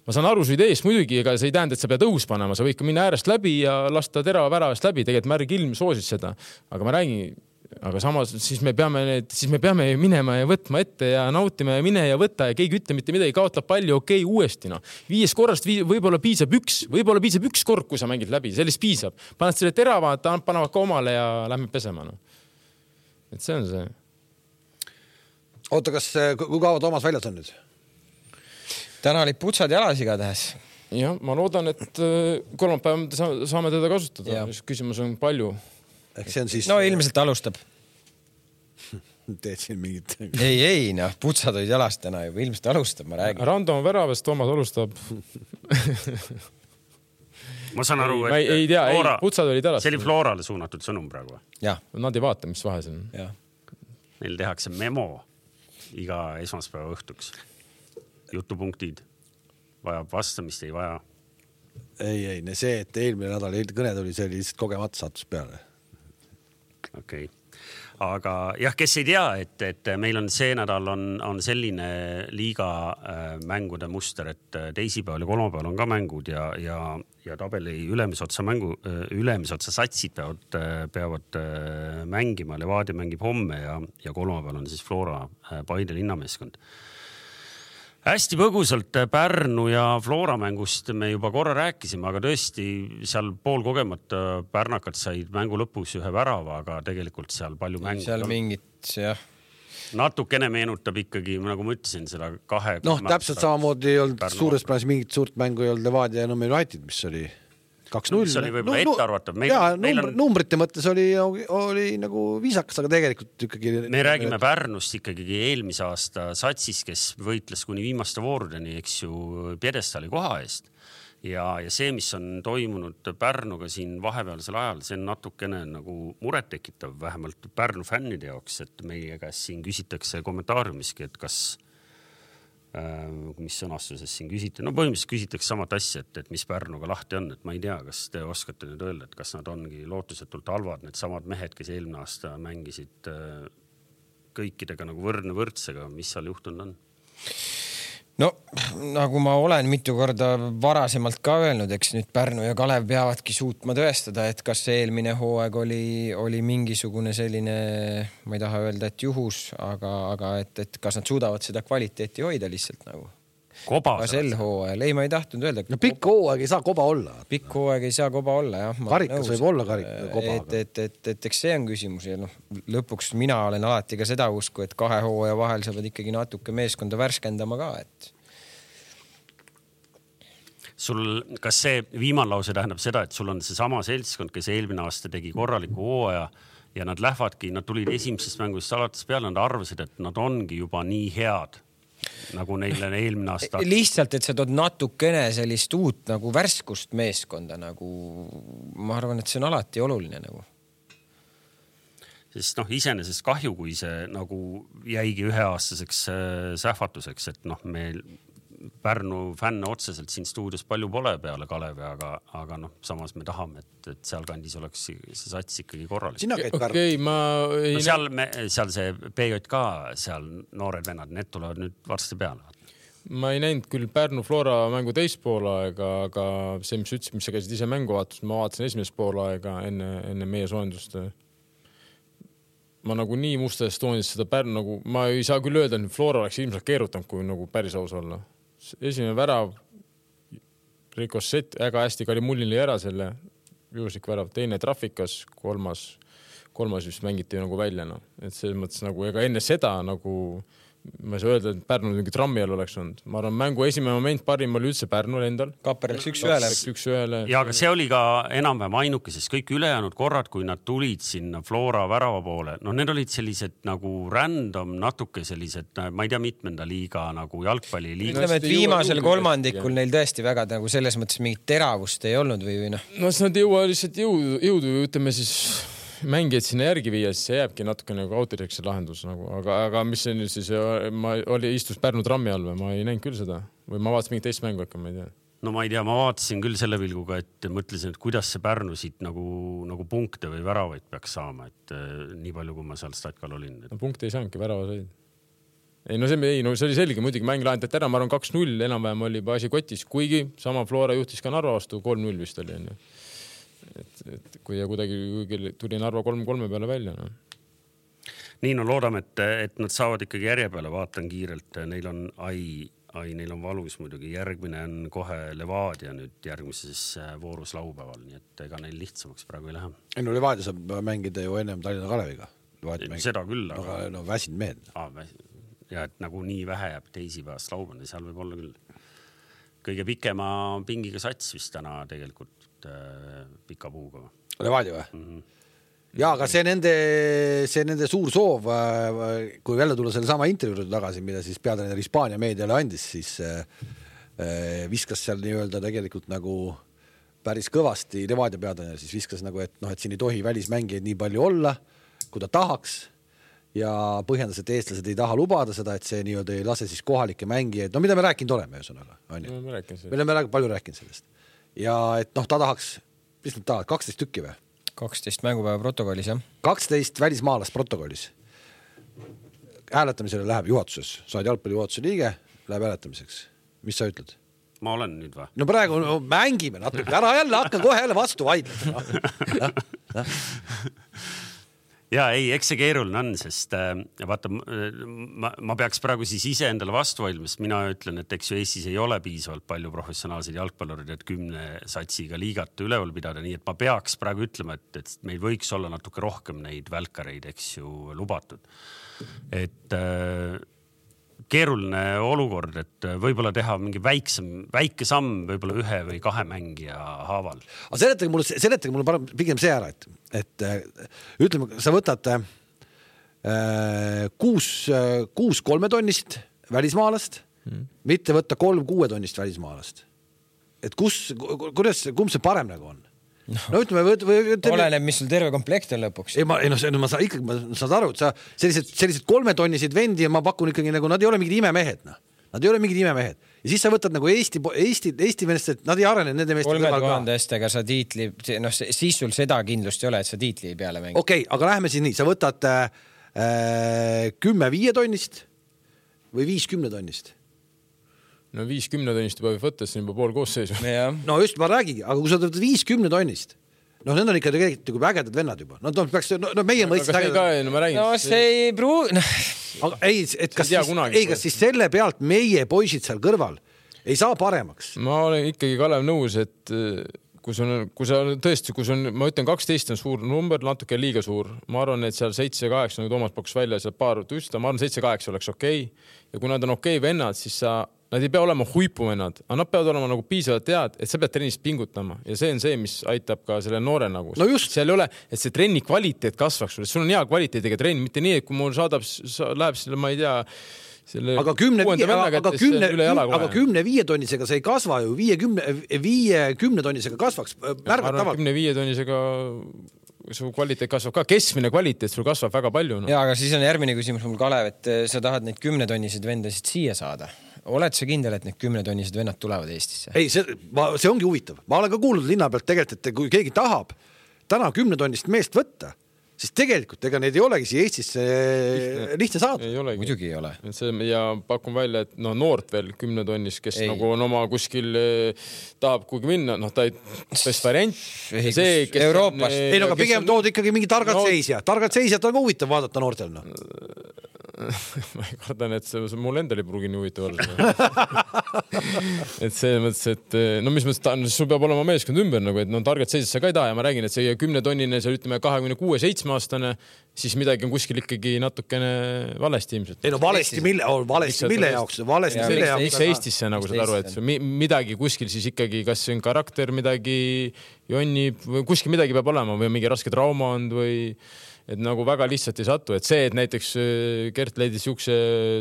Ma saan aru su ideest muidugi, ega see ei tähenda, et sa pead õhus panema, sa võid ka minna äärest läbi ja lasta terava väravast läbi, tegelikult Märg Ilm soosis seda. Aga ma räägin, aga samas siis me peame need, siis me peame minema ja võtma ette ja nautima ja mine ja võtta ja keegi ütle mitte midagi, kaotab palju, okei, okay, uuesti no. Viies korrast vii, võib-olla piisab üks, võib-olla piisab üks kord, kui sa mängid läbi, sellist piisab. Paned selle terava, panevad ka omale ja lähme pesema no. Et see on see.
Oota, kas, kui kaua Toomas väljas on nüüd?
Täna olid putsad jalas igatahes.
Ja, ma loodan, et kolmapäev saame teda kasutada. Küsimus on palju.
Ehk see on siis...
No ilmselt alustab.
Teed siin mingit...
Ei, ei, noh, putsad olid jalas täna juba. Ilmselt alustab, ma räägin.
Rando on väravest, Toomas alustab.
Ma saan aru, et...
Ei, ei tea, Flora... ei, putsad olid jalas.
See oli Florale suunatud sõnum praegu.
Jah.
Nad ei vaata, mis vahe see on.
Ja.
Neil tehakse memo iga esmaspäeva õhtuks. Jutupunktid. Vajab vastamist, ei vaja.
Ei, ei, see, et eelmine nädal kõne tuli, see oli lihtsalt kogemata sattus peale.
Okei. Okay. Aga jah, kes ei tea, et, et meil on see nädal on, on selline liiga äh, mängude muster, et teisipäeval ja kolmapäeval on ka mängud ja, ja, ja tabeli ülemisotsa mängu, ülemisotsa satsid peavad, peavad äh, mängima. Levadia mängib homme ja, ja kolmapäeval on siis Flora äh, Paide linnameeskond. Hästi põgusalt Pärnu ja Flora mängust me juba korra rääkisime, aga tõesti seal pool kogemata pärnakad said mängu lõpus ühe värava, aga tegelikult seal palju mängu.
Seal mingit, jah.
Natukene meenutab ikkagi, nagu ma ütlesin, seda kahe...
Noh, täpselt samamoodi ei olnud suures plaanis mingit suurt mängu ei olnud Levadia ja Nõmme United, mis oli kaks null.
Mis oli võib-olla no, ette arvatav. Meil,
jaa,
meil
numbr, on... numbrite mõttes oli, oli nagu viisakas, aga tegelikult ikkagi...
Me räägime Pärnust ikkagi eelmise aasta satsis, kes võitles kuni viimaste voorudeni, eks ju, pjedestali koha eest. Ja, ja see, mis on toimunud Pärnuga siin vahepealsel ajal, see on natukene nagu muret tekitav, vähemalt Pärnu fännide jaoks, et meie käest siin küsitakse kommentaariumiski, et kas... mis sõnastuses siin küsite. No põhimõtteliselt küsitakse samat asja, et, et mis Pärnuga lahti on, et ma ei tea, kas te oskate nüüd öelda, et kas nad ongi lootusetult halvad, need samad mehed, kes eelmine aasta mängisid kõikidega nagu võrdne võrdsega, mis seal juhtunud on?
No, nagu ma olen mitu korda varasemalt ka öelnud, eks nüüd Pärnu ja Kalev peavadki suutma tõestada, et kas see eelmine hooaeg oli, oli mingisugune selline, ma ei taha öelda, et juhus, aga, aga et, et kas nad suudavad seda kvaliteeti hoida lihtsalt nagu.
Koba.
Ka sel hooajal. Ei, ma ei tahtnud öelda.
No pikk hooaeg ei saa koba olla.
Pikk hooaeg ei saa koba olla, jah.
Karikas võib olla karik, koba.
Et, et, et, et, eks see on küsimus ja noh, lõpuks mina olen alati ka seda usku, et kahe hooaja vahel saavad ikkagi natuke meeskonda värskendama ka, et
sul, kas see viimane lause tähendab seda, et sul on see sama seltskond, kes eelmine aasta tegi korraliku hooaja ja nad lähevadki, nad tulid esimesest mängust alates peale, nad arvasid, et nad ongi juba nii head, nagu neile eelmine aasta.
Lihtsalt, et sa tood natukene sellist uut nagu värskust meeskonda, nagu ma arvan, et see on alati oluline nagu.
Sest noh, iseenesest kahju, kui see nagu jäigi üheaastaseks sähvatuseks, et noh, meil Pärnu fänne otseselt siin stuudios palju pole peale Kalevi, aga, aga noh, samas me tahame, et, et seal kandis oleks see sats ikkagi korralik.
Sina käid Pärnu.
Okay, ma ei...
no seal, me, seal see P J K, seal noored vennad, need tulevad nüüd varsti peale.
Ma ei näinud küll Pärnu Flora mängu teist poolaega, aga see, mis ütlesid, mis sa käisid ise mängu vaatas, ma vaatasin esimest poolaega enne, enne meie soojendust. Ma nagu nii musta Estonias seda Pärnu nagu, ma ei saa küll öelda, et Flora oleks ilmselt keerutanud, kui nagu päris aus olla. Esimene värav, Rikosset, äga hästi Kali Mullini ära selle juhuslik värav, teine trafikas, kolmas, kolmas just mängiti nagu välja. No. Et selles mõttes nagu, ega enne seda nagu, ma ei saa öelda, et Pärnu mingi trammi all oleks olnud. Ma arvan, mängu esimene moment parim oli üldse Pärnul endal.
Kapper läks üks ühele.
Üks ühele.
Ja aga see oli ka enam-vähem ainuke, sest kõik ülejäänud korrad, kui nad tulid sinna Flora värava poole, no need olid sellised nagu random, natuke sellised, ma ei tea, mitmenda liiga nagu jalgpalli liiga.
Ütleme, et viimasel kolmandikul neil tõesti väga nagu selles mõttes mingit teravust ei olnud või või noh.
No siis nad jõua lihtsalt jõudu, jõudu ütleme siis mängijad sinna järgi viia, siis see jääbki natuke nagu autoriks see lahendus nagu, aga, aga mis see nüüd siis, ma oli istus Pärnu trammi all või ma ei näinud küll seda või ma vaatasin mingit teist mängu, ma ei tea.
No ma ei tea, ma vaatasin küll selle vilguga, et mõtlesin, et kuidas see Pärnu siit nagu, nagu punkte või väravaid peaks saama, et nii palju, kui ma seal statkal olin. Et...
No punkte ei saanudki, värava said. Ei, no see, ei, no see oli selge, muidugi mäng lahendati ära, ma arvan kaks null, enam-vähem oli asi kotis, kuigi sama Flora juhtis ka Narva vastu, kolm null vist oli. Et, et kui ja kuidagi tuli Narva kolm kolme peale välja. No.
Nii, no loodame, et, et nad saavad ikkagi järje peale, vaatan kiirelt, neil on ai, ai, neil on valus muidugi, järgmine on kohe Levadia nüüd järgmises voorus laupäeval, nii et ega neil lihtsamaks praegu ei lähe.
Ei, no Levadia saab mängida ju ennem Tallinna Kaleviga.
Seda küll,
aga no väsinud mehed.
Aa, ja et nagu nii vähe jääb teisipäevast laupäevani, seal võib olla küll kõige pikema pingiga sats vist täna tegelikult äh, pika puuga.
Levadia või? Mm-hmm. Ja, aga see nende, see nende suur soov, kui välja tulla selle sama intervjuud tagasi, mida siis peatreener Hispaania meediale andis, siis viskas seal nii-öelda tegelikult nagu päris kõvasti Levadia peatreener, siis viskas nagu, et, no, et siin ei tohi välismängijaid nii palju olla, kui ta tahaks ja põhjendas, et eestlased ei taha lubada seda, et see nii-öelda ei lase siis kohalikke mängijaid. No mida me rääkinud oleme, ühesõnaga, on ju?
Me rääkinud
me oleme palju rääkinud sellest. Ja et noh, ta tahaks, mis nad tahavad, kaksteist tükki või?
kaksteist mängupäeva protokollis, jah.
kaksteist välismaalast protokollis. Hääletamisele läheb juhatuses. Saad jalgpalli juhatuse liige, läheb hääletamiseks. Mis sa ütled?
Ma olen nüüd või?
No praegu no, mängime natuke. Ära jälle hakkan kohe jälle vastu vaidlema. No.
Ja ei, eks see keeruline on, sest äh, vaata, ma, ma peaks praegu siis ise endale vastu vaidlema, sest mina ütlen, et eks ju Eestis ei ole piisavalt palju professionaalseid jalgpallurid, et kümne satsiga liigat üleval pidada, nii et ma peaks praegu ütlema, et, et meil võiks olla natuke rohkem neid välkareid, eks ju, lubatud. Et äh, keeruline olukord, et võib-olla teha mingi väiksem, väike samm võib-olla ühe või kahe mängija haaval.
Aga seletage mulle, seletage mulle pigem see ära, et, et ütleme, sa võtad äh, kuus, kuus kolmetonnist välismaalast, hmm. mitte võtta kolm kuuetonnist välismaalast. Et kus, kuidas, kumb see parem nagu on? No, no ütleme, või, või, ütleme,
oleneb, mis sul terve komplekt on lõpuks.
Ei, ma, ei, no, see, no, ma saan ikkagi, ma saan aru, et sa sellised, sellised kolmetonnisid vendi ja ma pakun ikkagi nagu, nad ei ole mingid imemehed. No. Nad ei ole mingid imemehed. Ja siis sa võtad nagu Eesti, Eesti, Eesti meelest, et nad ei arene nende meeste
kõrval ka. kolme tuhandestega sa tiitli, no siis sul seda kindlust ei ole, et sa tiitli peale mängid.
Okei, okay, aga läheme siis nii, sa võtad äh, kümme viietonnist või viis kümnetonnist.
No viis kümnetonnist juba võib võtta, see on juba pool koosseisu.
No just ma räägigi, aga kui sa võtad viis kümnetonnist, no need on ikka tegelikult nagu ägedad vennad juba. No, peaks, no, no meie mõistes
ägedad. No,
no see ei pruu... No.
Aga ei, et kas, siis, ei, kas siis selle pealt meie poisid seal kõrval ei saa paremaks?
Ma olen ikkagi Kalev nõus, et kui sa, kui sa tõesti, kui on, ma ütlen, kaksteist on suur number, natuke liiga suur. Ma arvan, et seal seitse kaheksa, nagu Toomas pakkus välja, seal paar tõsta, ma arvan, seitse kaheksa oleks okei. Ja kui nad on okei vennad, siis sa nad ei pea olema huipuvennad, aga nad peavad olema nagu piisavalt tead, et sa pead trennist pingutama ja see on see, mis aitab ka selle noore nagu.
No just.
Seal ei ole, et see trenni kvaliteet kasvaks, sul on hea kvaliteediga trenn, mitte nii, et kui mul saadab, läheb selle, ma ei tea, selle
aga kümne, aga kümne, aga kümne viie tonnisega see ei kasva ju, viie kümne, viie kümne tonnisega kasvaks märgatavalt.
Kümne viie tonnisega su kvaliteet kasvab ka, keskmine kvaliteet sul kasvab väga palju. No.
Ja, aga siis on järgmine küsimus mul Kalev, et sa tahad neid kümne tonniseid vendasid siia saada. Oled sa kindel, et need kümne tonnised vennad tulevad Eestisse?
Ei, see, ma, see ongi huvitav. Ma olen ka kuulnud linna pealt tegelikult, et kui keegi tahab täna kümne tonnist meest võtta, siis tegelikult ega neid ei olegi siia Eestisse lihtne, lihtne saada.
Ei olegi.
Muidugi ei ole.
See, ja pakun välja, et no, noort veel kümne tonnis, kes ei. Nagu on oma kuskil eh, tahab kuigi minna, noh ta ei best variant.
Ei, see, kes Euroopas.
On, ei, no, aga pigem on... tood ikkagi mingi targad no... seisja. Targad seisjad on ka huvitav vaadata noortel. No.
ma ei kardan, et see, mul endal ei pruugi nii huvitav olla. et see mõttes, et no mis mõttes, ta, sul peab olema meeskond ümber, nagu, et no targad seisjad sa ka ei taha ja ma räägin, et see kümne tonnine, see ütleme kahekümne kuue seitsme aastane, siis midagi on kuskil ikkagi natukene valesti ilmselt.
Ei no valesti mille, oh, valesti mille jaoks, valesti
ja,
mille
jaoks.
Miks
Eestisse nagu saad aru, et midagi kuskil siis ikkagi, kas see on karakter, midagi jonnib, või kuskil midagi peab olema või mingi raske trauma on või et nagu väga lihtsalt ei satu, et see, et näiteks Gert leidis juukse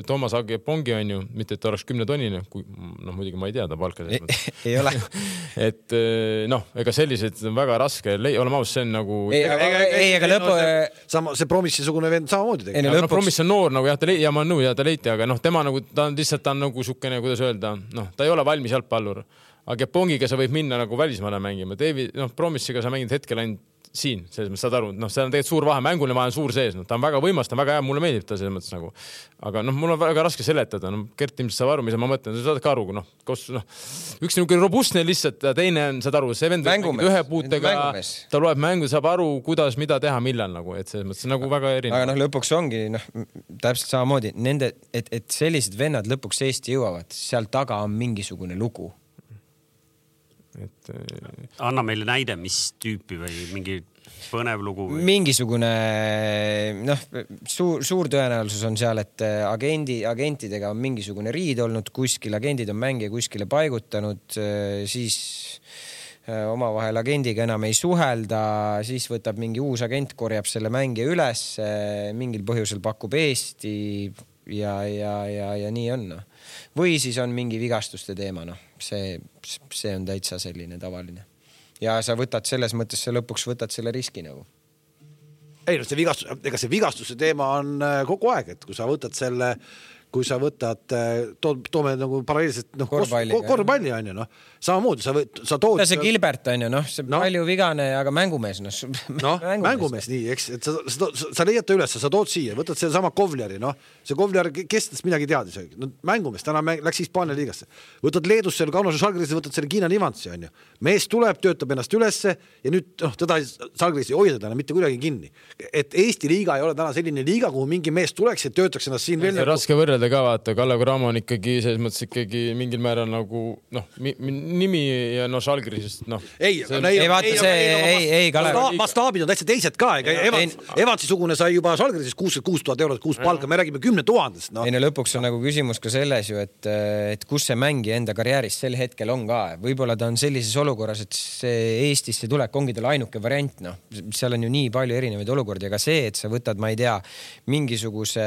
Toomas Agepongi on ju, mitte et ta oleks kümne tonnine, kui noh, muidugi ma ei tea ta palka.
Ei, ei ole.
et noh, ega sellised on väga raske, oleme aus, see on nagu...
Ei, ega, ega, ei, ega lõpu...
Sama, see Promissisugune vend samamoodi
tegi. No, lõpuks... no Promiss on noor, nagu jah, ta leid, ja ma olen nõu, ja ta leiti, aga noh, tema nagu, ta on lihtsalt, ta on nagu sukene, kuidas öelda, noh, ta ei ole valmis jalgpallur. Aga Pongiga sa võib minna nagu välismaale mängima. David, noh, Promissiga sa mängid hetkel ainult siin, selles mõttes saad aru, noh, see on tegelikult suur vahe, mängule vahe on suur sees, no, ta on väga võimas, ta on väga hea, mulle meeldib ta selles mõttes nagu, aga noh, mul on väga raske seletada, no, Gert ilmselt saab aru, mis ma mõtlen, sa saad ka aru, noh, kus, noh, üks niisugune robustne lihtsalt, teine on, saad aru, see vend ühe puutega, ta loeb mängu, saab aru, kuidas, mida teha, millal nagu, et selles mõttes nagu väga erinev.
Aga noh, lõpuks ongi, noh, täpselt samamoodi, nende, et, et sellised vennad lõpuks Eesti jõuavad, seal taga on mingisugune lugu.
Et, anna meile näide, mis tüüpi või mingi põnev lugu või?
Mingisugune noh, suur, suur tõenäosus on seal, et agendi, agentidega on mingisugune riid olnud kuskil, agendid on mängija kuskile paigutanud, siis omavahel agendiga enam ei suhelda, siis võtab mingi uus agent, korjab selle mängija üles, mingil põhjusel pakub Eesti ja, ja, ja, ja nii on. No. Või siis on mingi vigastuste teema, noh. See, see on täitsa selline tavaline. Ja sa võtad selles mõttes, sa lõpuks võtad selle riski nagu.
Ei, no see vigastus, ega see vigastuse teema on kogu aeg, et kui sa võtad selle, kui sa võtad, to, toome nagu paralleelselt noh, korvpalli, korvpalli on ju, noh. Samamoodi sa, võt, sa tood...
See Gilbert on ju, noh, see no. Palju vigane, aga mängumees, noh.
No, mängumees, mängumees nii, eks, et sa, sa, sa, sa leiad ta üles, sa tood siia, võtad selle sama Kovleri, noh. See Kovler, kes tast midagi teadis, no, mängumees, täna mäng, läks Hispaania liigasse. Võtad Leedus selle Kaunasse Žalgirise, võtad selle Kiina Nivantsi, on ju. Mees tuleb, töötab ennast ülesse ja nüüd, noh, teda Žalgiris ei hoida täna mitte kuidagi kinni. Et Eesti liiga ei ole täna selline liiga, kuhu mingi mees tuleks ja töötaks ennast siin veel.
Raske võrrelda ka vaata, Kalev Cramo on ikkagi selles mõttes ikkagi mingil määral nagu, noh, nimi ja no Žalgirisest, noh.
Ei,
see, ei, vaata ei, see, ei, ei, ei, Kalev.
Mastaabid on täitsa teised ka, ega Evans, Evansi-sugune sai juba Žalgirisest kuuskümmend kuus tuhat eurot kuus palka, me räägime kümne tuhandest. No.
Ei, no lõpuks on nagu küsimus ka selles ju, et, et kus see mängija enda karjääris sel hetkel on ka. Võib-olla ta on sellises olukorras, et see Eestisse tulek ongi tal ainuke variant, noh. Seal on ju nii palju erinevaid olukordi, aga see, et sa võtad, ma ei tea, mingisuguse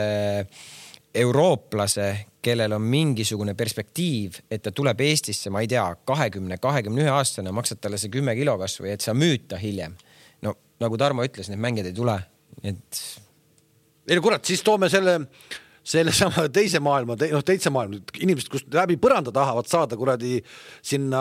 eurooplase, kellel on mingisugune perspektiiv, et ta tuleb Eestisse, ma ei tea, kahekümne, kahekümne ühe aastane, maksad talle see kümme kilo kasvu, et sa müüd ta hiljem. No nagu Tarmo ütles, need mängijad ei tule. Et...
Ei, no kurat, siis toome selle... selle sama teise maailma, te, noh, teise maailma, inimesed, kus läbi põranda tahavad saada kuradi sinna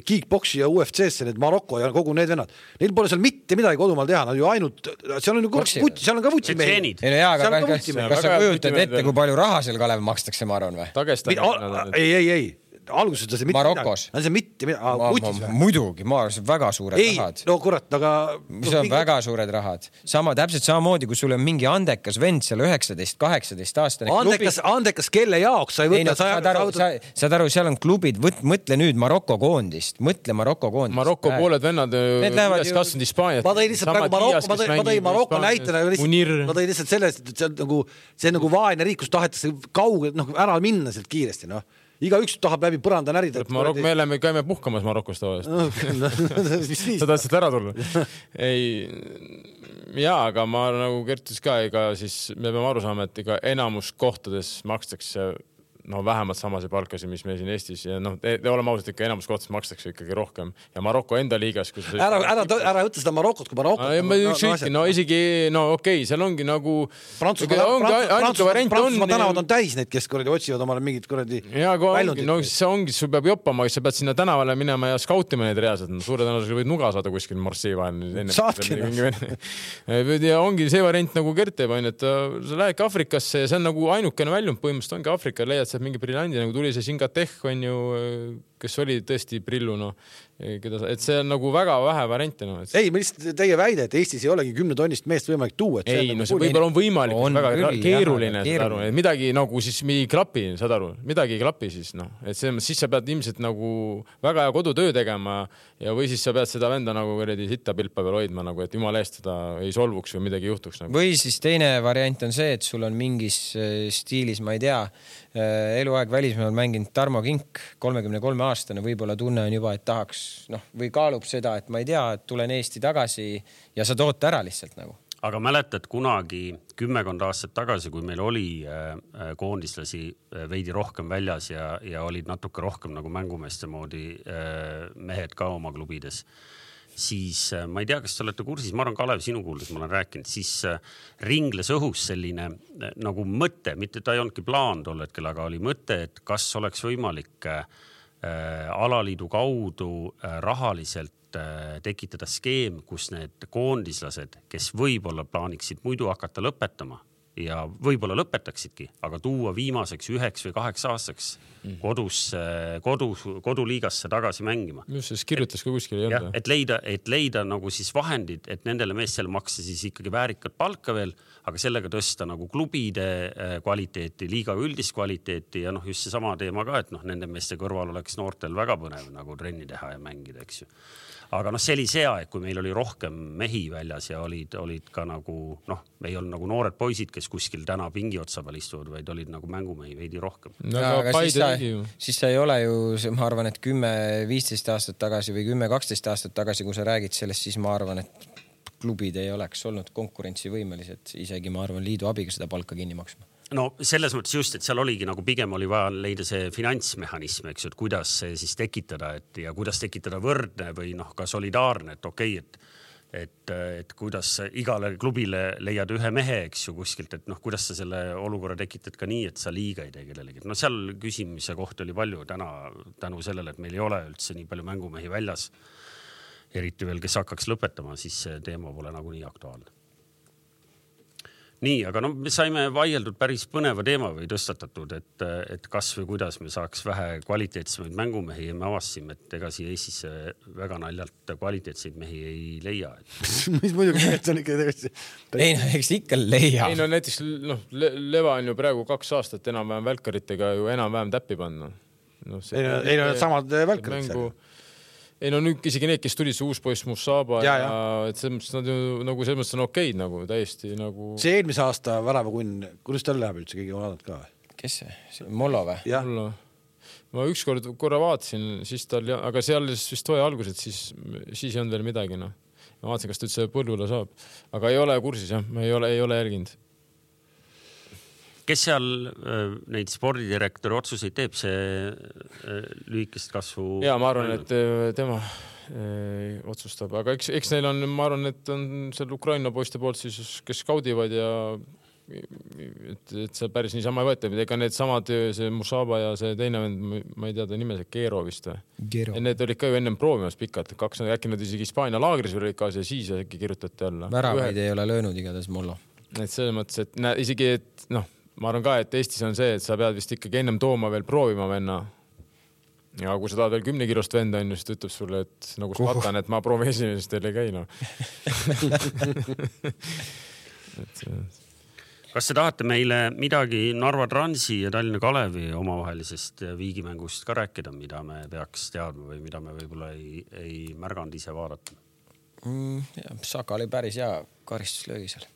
kickboksi ja U F C-sse, need Marokko ja kogu need vennad. Neil pole seal mitte midagi kodumaal teha, nad ju ainult, seal on ju vutsi, seal on ka vutsi mehi.
Ei no jaa, aga kas, kas sa kujutad ette, kui palju raha seal Kalev makstakse, ma arvan või?
Ei, ei, ei. Alguses ta see mitte
Marokos.
midagi. See mitte midagi.
Ma, ma, muidugi, ma arvan, see on väga suured
ei,
rahad.
No kurat, aga...
See on mingi... väga suured rahad. Sama, täpselt samamoodi, kui sul on mingi andekas vend seal üheksateist kaheksateist aastane
andekas, klubi... Andekas kelle jaoks sa ei võtta... Ei, no, sa,
saad, aru, sa, saad aru, seal on klubid, võt, mõtle nüüd Marokko koondist. Mõtle Marokko koondist.
Marokko pooled vennad üles kasvanud Hispaaniat.
Ma tõi lihtsalt praegu Marokko, ma tõi, ma tõi Marokko näitena. Ma tõi lihtsalt sellest, et see on nagu, see on nagu vaene riik, kus tahetakse kauge, noh, ära minna sealt kiiresti, noh. Iga üks tahab läbi põranda närida.
Marok- me oleme, käime puhkamas Marokos tavaliselt. Sa tahtsid ära tulla? Ei, jaa, aga ma nagu Kertis ka, ega siis me peame aru saama, et ega enamus kohtades makstakse no vähemalt samase palkasi, mis me siin Eestis ja noh, te, te oleme ausalt ikka enamus kohtades makstakse ikkagi rohkem ja Marokko enda liigas kus
ära, ära, ära võtta seda Marokot kui Marokot
no, no, no, no, no isegi, no okei okay, seal ongi nagu
Prantsusmaa tänavad on täis neid, kes kuradi otsivad omale mingid kuradi
ja ongi, no see ongi, sul peab joppama, sa pead sinna tänavale minema ja skautima neid reaalselt, no suure tõenäosusega võid nuga saada kuskil Marseille vahel enne. Ja ongi see variant nagu Gert teeb, et sa lähedki Afrikasse ja see on nagu ainukene väljund põhimõtteliselt ongi Afrika, leiad sealt mingi brillandi, nagu tuli see Singatech on ju, kes oli tõesti prillu, no, keda, et see on nagu väga vähe variante. No, et...
Ei, ma lihtsalt teie väide, et Eestis ei olegi kümne tonnist meest võimalik tuua. Et
ei,
see
no see võib-olla on võimalik, on väga küll, keeruline, jah, aru, et midagi nagu siis ei klapi, saad aru, midagi ei klapi siis, noh, et see, siis sa pead ilmselt nagu väga hea kodutöö tegema ja või siis sa pead seda venda nagu kuradi sitta pilpa peal hoidma, nagu, et jumala eest seda ei solvuks või midagi juhtuks. Nagu.
Või siis teine variant on see, et sul on mingis stiilis, ma ei tea, eluaeg välismaal mänginud Tarmo Kink, kolmekümne kolme aastane, võib-olla tunne on juba, et tahaks, noh, või kaalub seda, et ma ei tea, et tulen Eesti tagasi ja sa tood ära lihtsalt nagu.
Aga mäletad kunagi kümmekond aastat tagasi, kui meil oli koondislasi veidi rohkem väljas ja, ja olid natuke rohkem nagu mängumeeste moodi mehed ka oma klubides, siis ma ei tea, kas te olete kursis, ma arvan, Kalev, sinu kuuldes ma olen rääkinud, siis ringles õhus selline nagu mõte, mitte ta ei olnudki plaan tol hetkel, aga oli mõte, et kas oleks võimalik alaliidu kaudu rahaliselt tekitada skeem, kus need koondislased, kes võib-olla plaaniksid muidu hakata lõpetama ja võib-olla lõpetaksidki, aga tuua viimaseks üheks või kaheks aastaks kodus, kodus, koduliigasse tagasi mängima.
Just siis kirjutas ka kuskil ei
olnud. Et leida, et leida nagu siis vahendid, et nendele meestele maksta siis ikkagi väärikat palka veel, aga sellega tõsta nagu klubide kvaliteeti, liiga üldist kvaliteeti ja noh, just see sama teema ka, et noh, nende meeste kõrval oleks noortel väga põnev nagu trenni teha ja mängida, eks ju. Aga noh, see oli see aeg, kui meil oli rohkem mehi väljas ja olid, olid ka nagu, noh, ei olnud nagu noored poisid, kes kuskil täna pingi otsa peal istuvad, vaid olid nagu mängumehi veidi rohkem.
No, aga siis sa, siis sa ei ole ju, ma arvan, et kümme viisteist aastat tagasi või kümme kaksteist aastat tagasi, kui sa räägid sellest, siis ma arvan, et klubid ei oleks olnud konkurentsivõimelised, isegi ma arvan liidu abiga seda palka kinni maksma.
No selles mõttes just, et seal oligi nagu pigem oli vaja leida see finantsmehhanism, eks ju, et kuidas see siis tekitada, et ja kuidas tekitada võrdne või noh, ka solidaarne, et okei, et, et, et kuidas igale klubile leiad ühe mehe, eks ju, kuskilt, et noh, kuidas sa selle olukorra tekitad ka nii, et sa liiga ei tee kellelegi. No seal küsimise kohta oli palju täna tänu sellele, et meil ei ole üldse nii palju mängumehi väljas, eriti veel, kes hakkaks lõpetama, siis see teema pole nagu nii aktuaalne. Nii, aga no me saime vaieldud päris põneva teema või tõstatatud, et, et kas või kuidas me saaks vähe kvaliteetsemaid mängumehi ja me avastasime, et ega siia Eestisse väga naljalt kvaliteetseid mehi ei leia.
Mis muidugi see on ikka tõesti?
Ei, no, eks ikka leia.
Ei, no näiteks noh, Leva on ju praegu kaks aastat enam-vähem välkaritega ju enam-vähem täppi panna. No,
ei, no, ei, no samad välkarid seal.
Ei no nüüd isegi need, kes tulid see uus poiss Musaba ja, ja, ja et selles mõttes nad ju nagu selles mõttes on okeid nagu täiesti nagu... See
eelmise aasta väravakunn, kuidas tal läheb üldse, keegi on vaadanud ka?
Kes see? Mollo või?
Jah.
Ma ükskord korra vaatasin, siis tal, aga seal vist toja algused, siis, siis ei olnud veel midagi. No. Ma vaatasin, kas ta üldse põllule saab. Aga ei ole kursis, jah. Ma ei ole, ei ole järginud.
Kes seal neid spordidirektori otsuseid teeb, see lühikest kasvu?
Ja ma arvan, et tema otsustab, aga eks, eks neil on, ma arvan, et on seal Ukraina poiste poolt siis, kes skaudivad ja et, et see päris niisama ei võeta. Ega need samad, see Musaba ja see teine, ma ei tea, ta nime, see Gero vist või? Gero. Need olid ka ju ennem proovimas pikalt, kaks, äkki nad isegi Hispaania laagris olid ka ja siis äkki kirjutati alla.
Väravaid ei ole löönud igatahes Mollo.
Et selles mõttes, et nä, isegi, et noh, ma arvan ka, et Eestis on see, et sa pead vist ikkagi ennem tooma veel proovima venna. Ja kui sa tahad veel kümne kilost venda, on just ütleb sulle, et nagu spatan, et ma proovin esimesest teil ei käi. No. et,
kas te tahate meile midagi Narva Transi ja Tallinna Kalevi omavahelisest viigimängust ka rääkida, mida me peaks teadma või mida me võib-olla ei, ei märganud ise vaadata?
Mm, ja, Saka oli päris hea karistuslöögi seal.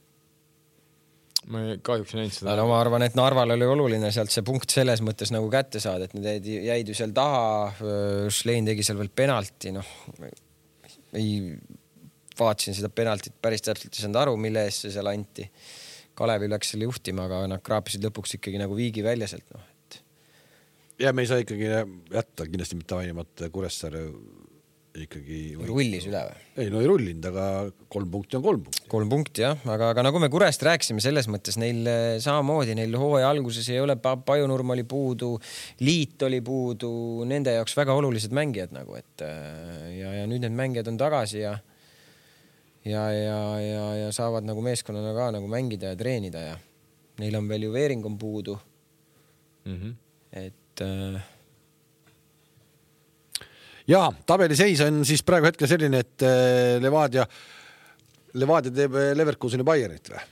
Ma kahjuks näinud seda.
No, ma arvan, et Narval oli oluline sealt see punkt selles mõttes nagu kätte saada, et need jäid ju seal taha. Schlein tegi seal veel penalti. No, ei vaatasin seda penaltit päris täpselt ei saanud aru, mille eest see seal anti. Kalevi läks selle juhtima, aga nad kraapisid lõpuks ikkagi nagu viigi välja sealt. No, et...
Ja me ei saa ikkagi jätta kindlasti mitte ainimata Kuressaare ikkagi...
Rullis üle või?
Ei, no ei rullinud, aga kolm punkti on kolm punkti.
Kolm punkti, jah. Aga, aga nagu me Kurest rääksime selles mõttes, neil samamoodi, neil hooaja alguses ei ole Pajunurm oli puudu, Liit oli puudu, nende jaoks väga olulised mängijad nagu, et ja, ja nüüd need mängijad on tagasi ja ja, ja, ja, ja saavad nagu meeskonnana ka nagu mängida ja treenida ja neil on veel ju Veering on puudu.
Mm-hmm.
Et äh,
ja tabeli seis on siis praegu hetkel selline, et Levadia, Levadia teeb Leverkuseni Bayernit või?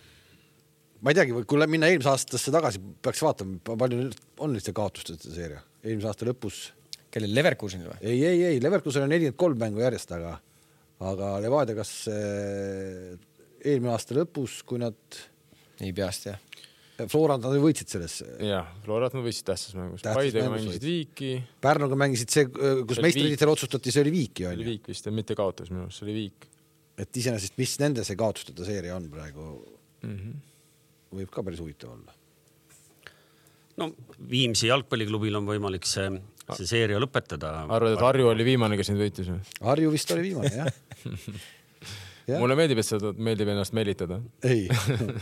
Ma ei teagi, kui minna eelmise aastasse tagasi, peaks vaatama, palju on lihtsalt kaotustest seeria. Eelmise aasta lõpus.
Kellel Leverkuseni või?
Ei, ei, ei. Leverkusen on nelikümmend kolm mängu järjest, aga, aga Levadia kas eelmine aasta lõpus, kui nad...
Ei peast, jah.
Florant nad võitsid selles.
Jah, Florant nad võitsid tähtsas mängus. Paidega mängisid Viiki.
Pärnuga mängisid see, kus meistritiitel otsustati, see oli Viiki.
See oli Viik vist, mitte kaotas minu, see oli Viik.
Et iseenesest, mis nende see kaotustada seeria on praegu,
mm-hmm.
võib ka päris huvitav olla.
No Viimsi jalgpalliklubil on võimalik see, see seeria lõpetada.
Arvad, et Harju oli viimane, kes nüüd võitis?
Harju vist oli viimane, jah. Ja.
Mulle meeldib, et seda meeldib ennast meelitada.
Ei,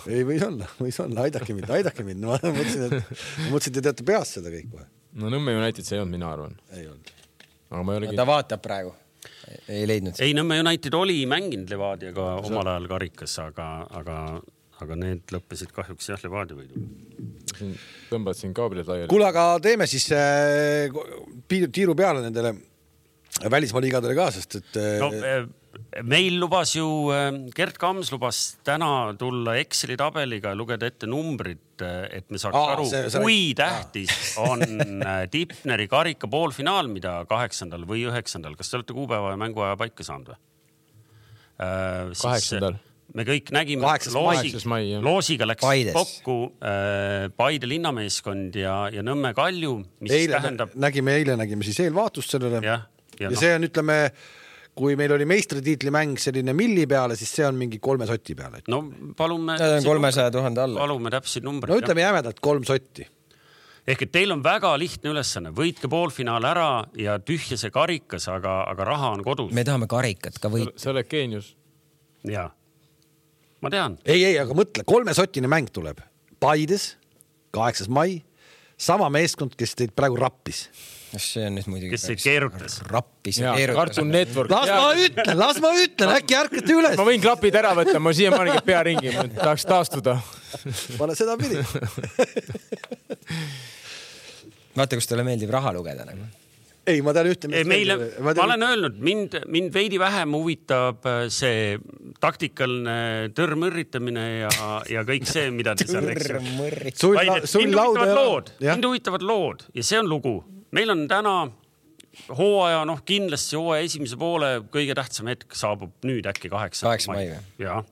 ei võis olla, võis olla, aidake mind, aidake mind. Ma mõtlesin, et, mõtlesin, et te teate peast seda kõik või?
No Nõmme United see ei olnud, mina arvan.
Ei olnud.
aga ma ei olegi...
ta vaatab praegu. Ei leidnud.
Ei, Nõmme United oli mänginud Levadiaga omal ajal karikas, aga, aga, aga need lõppesid kahjuks jah Levadia võidu.
Tõmbad siin kaablid laiali.
Kuule, aga teeme siis äh, tiiru peale nendele välismaaliigadele ka, sest et...
No, meil lubas ju, Gert Kams lubas täna tulla Exceli tabeliga ja lugeda ette numbrid, et me saaks
Aa,
aru,
see, see,
kui tähtis on Tipneri karika poolfinaal, mida kaheksandal või üheksandal. Kas te olete kuupäeva ja mänguaja paika saanud või?
Kaheksandal.
Me kõik nägime, loosi, loosiga läks Paides. Kokku äh, Paide linnameeskond ja, ja Nõmme Kalju, mis
eile,
tähendab...
Nägime, eile nägime siis eelvaatust sellele. Ja, ja, ja no. See on, ütleme, kui meil oli meistritiitli mäng selline milli peale, siis see on mingi kolme sotti peale.
No palume...
kolmesaja tuhande alla.
Palume täpsid numbrid.
No ütleme jämedalt kolm sotti.
Ehk et teil on väga lihtne ülesanne. Võitke poolfinaal ära ja tühja see karikas, aga, aga raha on kodus.
Me tahame karikat ka võita.
See oled geenius.
Jaa. Ma tean.
Ei, ei, aga mõtle, kolmesotine mäng tuleb. Paides, kaheksas mai, sama meeskond, kes teid praegu rappis.
See on nüüd muidugi...
Kes teid keerutas?
Rappis
ja keerutas. Cartoon Network.
Las ma ütlen, las ma ütlen, äkki ärkate üles.
Ma võin klapid ära võtta, ma siia maaniga pea ringi, ma tahaks taastuda.
Pane seda pidi.
Vaata, kus teile meeldib raha lugeda nagu.
Ei, ma tean ühte...
Ei, meile, ma, ma olen öelnud, mind, mind veidi vähem huvitab see taktikaline tõrmõrritamine ja, ja kõik see, mida te seal eksib. Mind huvitavad lood, mind huvitavad lood ja see on lugu. Meil on täna hooaja, noh kindlasti hooaja esimese poole kõige tähtsam hetk saabub nüüd äkki kaheksa.
kaheksa mai.
Jaa.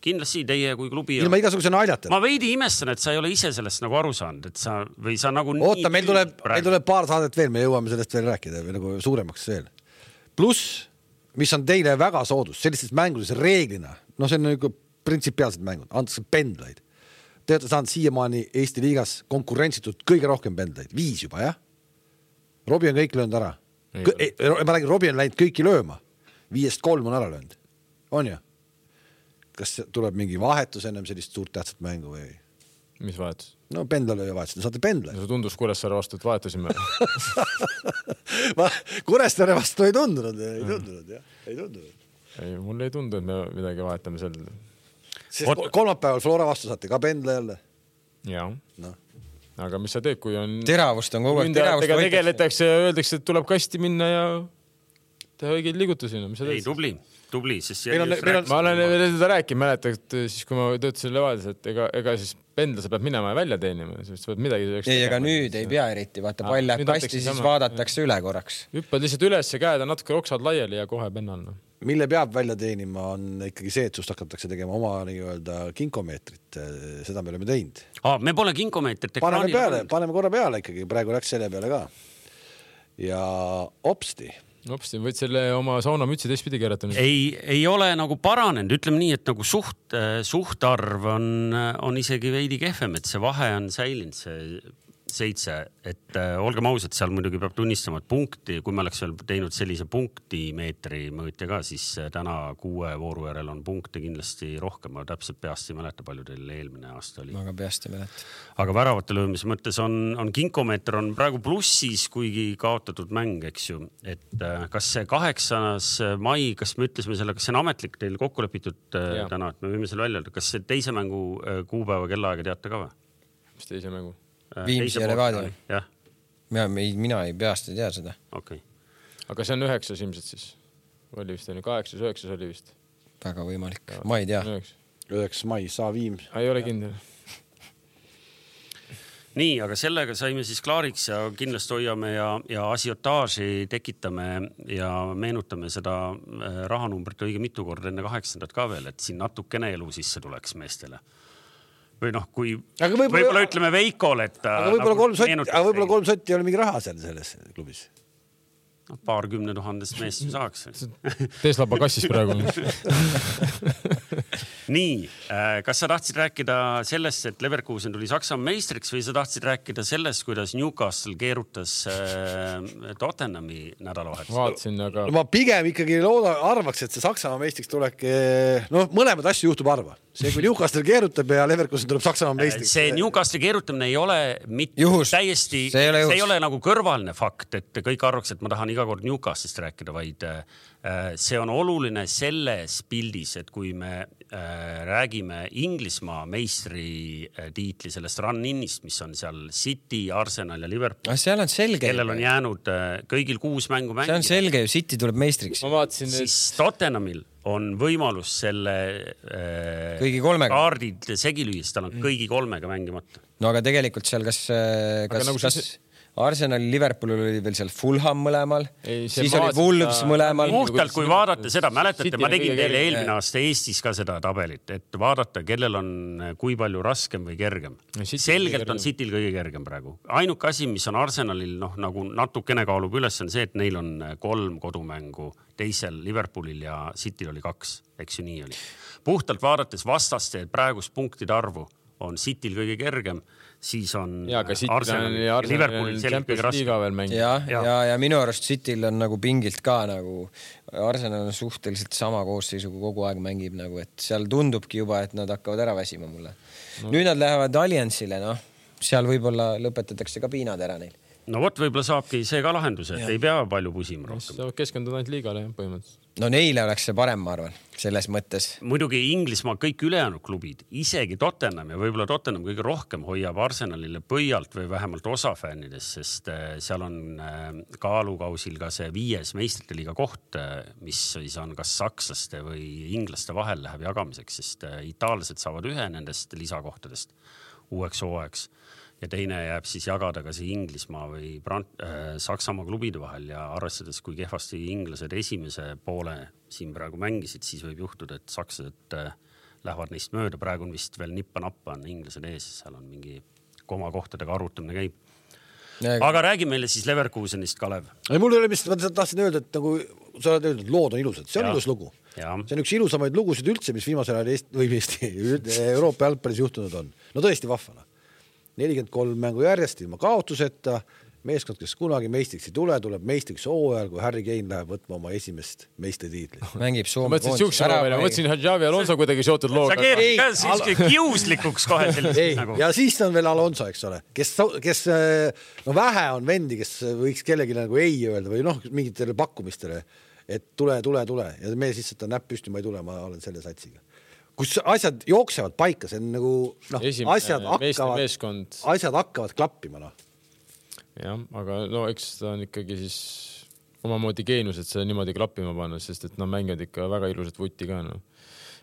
Kindlasti teie kui klubi...
Ilma igasuguse naljata.
Ma veidi imestan, et sa ei ole ise sellest nagu aru saanud, et sa, või sa nagu...
Oota, meil tuleb, meil tuleb paar saadet veel, me jõuame sellest veel rääkida, või nagu suuremaks veel. Plus, mis on teile väga soodus, sellistes mängudes reeglina, no see on nagu printsipiaalsed mängud, antakse pendlaid. Te olete saanud siiamaani Eesti liigas konkurentsitult kõige rohkem pendlaid. Viis juba, jah? Robi on kõik löönud ära. Ei, ma räägin, Robi on läinud kõiki lööma. Viiest kolm on ära löönud. On ju? Kas tuleb mingi vahetus ennem sellist suurt tähtsat mängu või?
Mis vahetus?
No pendlalööja vahetus, saate pendla.
No see tundus Kuressaare vastu, et vahetasime.
Kuressaare vastu ei tundunud, ei tundunud, jah. Ei tundunud.
Ei, mul ei tundu, et me midagi vahetame seal.
Sest kolmapäeval Flora vastu saate ka pendla jälle.
Jaa. No. Aga mis sa teed, kui on...
Teravust on kogu aeg.
Teravust tegeletakse ja öeldakse, et tuleb kasti minna ja teha õigeid liigutusi. No,
ei, tubli. Tubli, siis
on, on, ma olen veel seda rääkinud, mäleta, et siis kui ma töötasin Levadias, et ega, ega siis pendla sa pead minema ja välja teenima, siis pead midagi...
Ei, ega nüüd ei pea eriti, vaata pall läheb kasti, siis sama. Vaadatakse üle korraks.
Hüppad lihtsalt üles ja käed on natuke roksad laiali ja kohe pennal. No.
Mille peab välja teenima on ikkagi see, et sust hakatakse tegema oma nii-öelda kinkomeetrit. Seda me oleme teinud.
Aa, me pole kinkomeetrit.
Paneme peale, paneme korra peale ikkagi, praegu läks selle peale ka. Ja opsti.
Opsti, võid selle oma saunamütsi teistpidi keerata.
Ei, ei ole nagu paranenud, ütleme nii, et nagu suht, suhtarv on, on isegi veidi kehvem, et see vahe on säilinud, see seitse, et äh, olgem ausad, seal muidugi peab tunnistama, et punkti, kui me oleks veel teinud sellise punktimeetri mõõtja ka, siis äh, täna kuue vooru järel on punkte kindlasti rohkem, ma täpselt peast ei mäleta, palju teil eelmine aasta oli.
Aga peast ei mäleta.
Aga väravate löömise mõttes on, on kinkomeeter on praegu plussis, kuigi kaotatud mäng, eks ju, et äh, kas see kaheksas mai, kas me ütlesime selle, kas see on ametlik teil kokku lepitud äh, täna, et me võime selle välja öelda, kas see teise mängu äh, kuupäeva kellaaega teate ka või?
Mis teise mängu?
Viimsi ja Levadia.
Jah.
Mina, mina ei peast ei tea seda.
Okay.
Aga see on üheksas ilmselt siis. Oli vist, kaheksas, üheksas oli vist.
Väga võimalik. Ma ei tea.
üheksas mai, saa Viims.
Ei ole kindel.
Nii, aga sellega saime siis klaariks ja kindlasti hoiame ja, ja asiotaaži tekitame ja meenutame seda rahanumbrit õige mitu korda enne kaheksandat ka veel, et siin natukene elu sisse tuleks meestele. Või noh, kui võib-olla, võib-olla ütleme Veikole, et...
Aga võib-olla nagu kolm sotti, aga võib-olla kolm sotti ei ole mingi raha seal selles klubis.
No, paar kümne tuhandest meest saaks.
Tesla pakassis praegu.
Nii, kas sa tahtsid rääkida sellest, et Leverkusen tuli Saksamaa meistriks või sa tahtsid rääkida sellest, kuidas Newcastle keerutas Tottenhami nädalavahetus?
Vaatsin, aga...
No ma pigem ikkagi looda, arvaks, et see Saksamaa meistriks tulek, no mõlemad asju juhtub arva. See, kui Newcastle keerutab ja Leverkusen tuleb Saksamaa meistriks.
See Newcastle keerutamine ei ole mitte
juhus.
täiesti,
see ei ole,
see ei ole nagu kõrvaline fakt, et kõik arvaks, et ma tahan iga kord Newcastist rääkida, vaid see on oluline selles pildis, et kui me räägime Inglismaa meistri tiitli sellest run-inist, mis on seal City, Arsenal ja Liverpool.
Ah, seal on selge.
Kellel on jäänud kõigil kuus mängu mängida.
See on selge ju, City tuleb meistriks.
Ma vaatasin, et...
Siis Tottenhamil on võimalus selle
kõigi kolmega
kaardid segi lüüa, tal on kõigi kolmega mängimata.
No aga tegelikult seal kas, kas, nagu kas see... Arsenal, Liverpoolil oli veel seal Fulham mõlemal, ei, siis oli Wolves ta... mõlemal.
Puhtalt, kui vaadata seda, mäletate, ma tegin teile eelmine aasta Eestis ka seda tabelit, et vaadata, kellel on kui palju raskem või kergem. Selgelt on Cityl kõige kergem praegu. Ainuke asi, mis on Arsenalil noh, nagu natukene kaalub üles, on see, et neil on kolm kodumängu, teisel Liverpoolil ja Cityl oli kaks, eks ju nii oli. Puhtalt vaadates vastaste praegust punktide arvu on Cityl kõige kergem, siis on
ja,
Arsenal ja Liverpoolil selgelt kõige raskem.
Ja, ja. Ja, ja minu arust Cityl on nagu pingilt ka nagu Arsenal on suhteliselt sama koosseisuga kogu aeg mängib nagu, et seal tundubki juba, et nad hakkavad ära väsima mulle. No. Nüüd nad lähevad Alliansile, noh, seal võib-olla lõpetatakse ka piinad ära neil.
No vot, võib-olla saabki see ka lahendus, et ja. Ei pea palju pusima rohkem.
Keskenduda ainult liigale ja põhimõtteliselt.
No neile oleks see parem, ma arvan, selles mõttes.
Muidugi Inglismaa kõik ülejäänud klubid, isegi Tottenham ja võib-olla Tottenham kõige rohkem hoiab Arsenalile pöialt või vähemalt osa fännides, sest seal on kaalukausil ka see viies meistrite liiga koht, mis siis on kas sakslaste või inglaste vahel läheb jagamiseks, sest itaallased saavad ühe nendest lisakohtadest uueks hooajaks. Ja teine jääb siis jagada ka see Inglismaa või Brant, äh, Saksamaa klubide vahel ja arvestades, kui kehvasti inglased esimese poole siin praegu mängisid, siis võib juhtuda, et sakslased äh, lähevad neist mööda. Praegu on vist veel nippa-nappa on inglased ees, seal on mingi koma kohtadega arutamine käib. Ja, aga räägi meile siis Leverkusenist, Kalev.
Ei, mul ei ole, mis ma tahtsin öelda, et nagu sa oled öeldud, lood on ilusad. See on ja. Ilus lugu. Ja. See on üks ilusamaid lugusid üldse, mis viimasel ajal Eesti, või Eesti, Euroopa jalgpallis juhtunud on. No tõesti vahvana. nelikümmend kolm mängu järjest ilma kaotuseta, meeskond, kes kunagi meistriks ei tule, tuleb meistriks hooajal, kui Harry Kane läheb võtma oma esimest meistritiitlit.
Mängib Soome
koondis. Ma mõtlesin, et Javi Alonso kuidagi seotud looga.
Sa keerad ka siis kiuslikuks kohe selliseks nagu.
Ja siis on veel Alonso, eks ole, kes, kes no vähe on vendi, kes võiks kellegi nagu ei öelda või noh, mingitele pakkumistele, et tule, tule, tule. Ja me siis seda näpp püsti, ma ei tule, ma olen selle satsiga. Kus asjad jooksevad paika, see on nagu noh,
Esimene,
asjad hakkavad, asjad hakkavad klappima. No.
Jah, aga no eks ta on ikkagi siis omamoodi geenus, et see niimoodi klappima panna, sest et nad mängivad ikka väga ilusat vutti ka. No.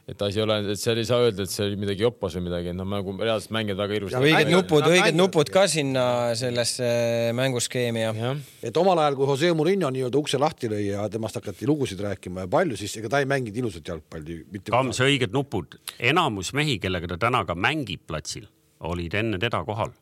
Et asi ole, et seal ei saa öelda, et see oli midagi jopas või midagi, et nad nagu reaalselt mängivad väga ilusat.
Õiged nupud, õiged nupud ka sinna sellesse mänguskeemi. Ja.
Et omal ajal, kui Jose Mourinho nii-öelda ukse lahti lõi ja temast hakati lugusid rääkima ja palju, siis ega ta ei mängid ilusat jalgpalli.
Kams õiged nupud. Enamus mehi, kellega ta täna ka mängib platsil, olid enne teda kohal.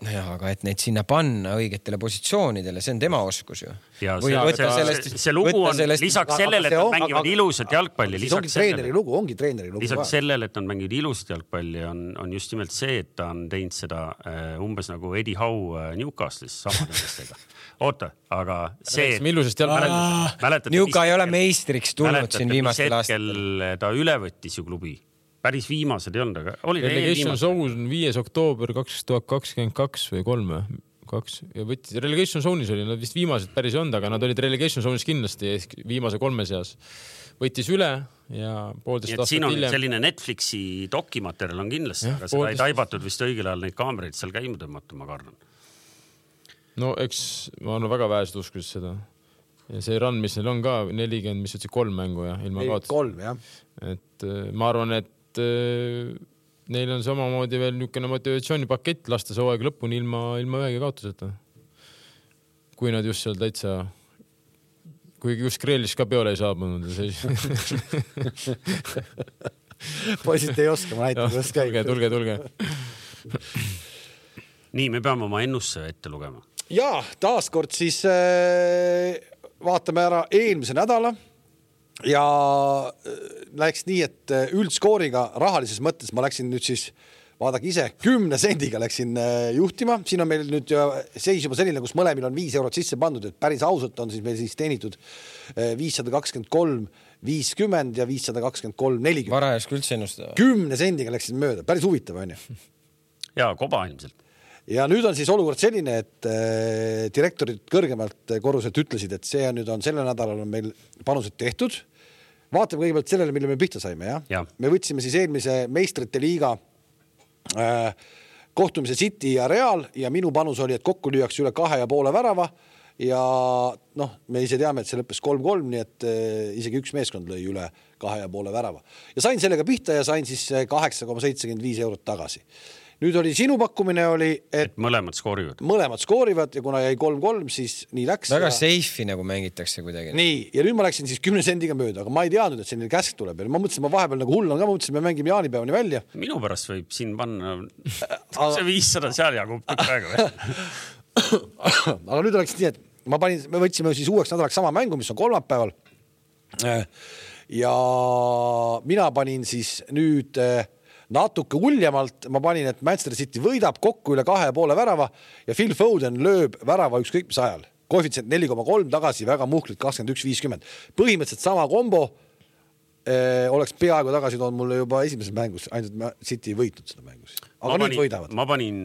Ja, aga et neid sinna panna õigetele positsioonidele, see on tema oskus ju.
Ja see, see, sellest, see lugu on sellest, lisaks sellele, et nad mängivad ilusat jalgpalli.
Lisaks ongi treeneri lugu, ongi treeneri lugu.
Lisaks sellele, et nad mängivad ilusat jalgpalli, on, on just nimelt see, et ta on teinud seda uh, umbes nagu Eddie Howe uh, Newcastle'is samadestega. Oota, aga see...
Newca ei ole meistriks tulnud siin viimastel aastatel.
Ta üle võttis ju klubi. Päris viimased ei olnud, aga oli
Relegation Zone on viies oktoober kaks tuhat kakskümmend kaks või kolm kaks ja võttis Relegation Zone'is oli, nad vist viimased päris ei olnud, aga nad olid Relegation Zone'is kindlasti viimase kolme seas. Võttis üle ja poolteist aastat
hiljem.
Siin
on selline Netflixi dokimaterjal on kindlasti, ja, aga seda ei taibatud vist õigel ajal neid kaameraid seal käima tõmmata, ma kardan.
No eks ma olen väga vähesed uskus seda. Ja see run, mis neil on ka nelikümmend, mis ütlesid kolm mängu ja ilma kaotus.
Kolm, jah.
Et ma arvan, et neil on samamoodi veel niisugune motivatsioonipakett lasta see hooaeg lõpuni ilma, ilma ühegi kaotuseta. Kui nad just seal täitsa, kui just Kreelis ka peole ei saabunud.
Poisid ei oska, ma näitan, kuidas käib.
Tulge, tulge, tulge.
Nii, me peame oma ennusse ette lugema.
Ja, taaskord siis äh, vaatame ära eelmise nädala. Ja läks nii, et üldskooriga rahalises mõttes ma läksin nüüd siis, vaadake ise, kümne sendiga läksin juhtima. Siin on meil nüüd seis juba selline, kus mõlemil on viis eurot sisse pandud, et päris ausalt on siis meil siis teenitud viissada kakskümmend kolm viiskümmend ja viissada kakskümmend kolm nelikümmend.
Varajas küll üldse ennustada.
Kümne sendiga läksin mööda, päris huvitav on ju.
Ja, koba ilmselt.
ja nüüd on siis olukord selline, et äh, direktorid kõrgemalt korruselt ütlesid, et see on nüüd on selle nädalal on meil panused tehtud. Vaatame kõigepealt sellele, mille me pihta saime. Ja?
Ja.
Me võtsime siis eelmise meistrite liiga äh, kohtumise City ja Real ja minu panus oli, et kokku lüüaks üle kahe ja poole värava ja noh, me ise teame, et see lõppes kolm kolm, nii et äh, isegi üks meeskond lõi üle kahe ja poole värava. Ja sain sellega pihta ja sain siis kaheksa koma seitsekümmend viis eurot tagasi. Nüüd oli sinu pakkumine oli, et,
et mõlemad skoorivad.
Mõlemad skoorivad ja kuna jäi kolm kolm, siis nii läks.
Väga
ja...
seifi nagu mängitakse kuidagi.
Nii, ja nüüd ma läksin siis kümne sendiga mööda, aga ma ei teadnud, et selline käsk tuleb. Ma mõtlesin, ma vahepeal nagu hull on ka, ma mõtlesin, me mängime jaanipäevani välja.
Minu pärast võib siin panna see viissada seal jagub praegu.
Aga nüüd oleks nii, et ma panin, me võtsime siis uueks nädalaks sama mängu, mis on kolmapäeval. Ja mina panin siis nüüd natuke uljemalt, ma panin, et Manchester City võidab kokku üle kahe ja poole värava ja Phil Foden lööb värava ükskõik mis ajal. Koefitsient neli koma kolm tagasi, väga muhklit kakskümmend üks viiskümmend. Põhimõtteliselt sama kombo eh, oleks peaaegu tagasi toonud mulle juba esimeses mängus, ainult City ei võitnud seda mängus. Aga
ma
nüüd
panin,
võidavad.
Ma panin,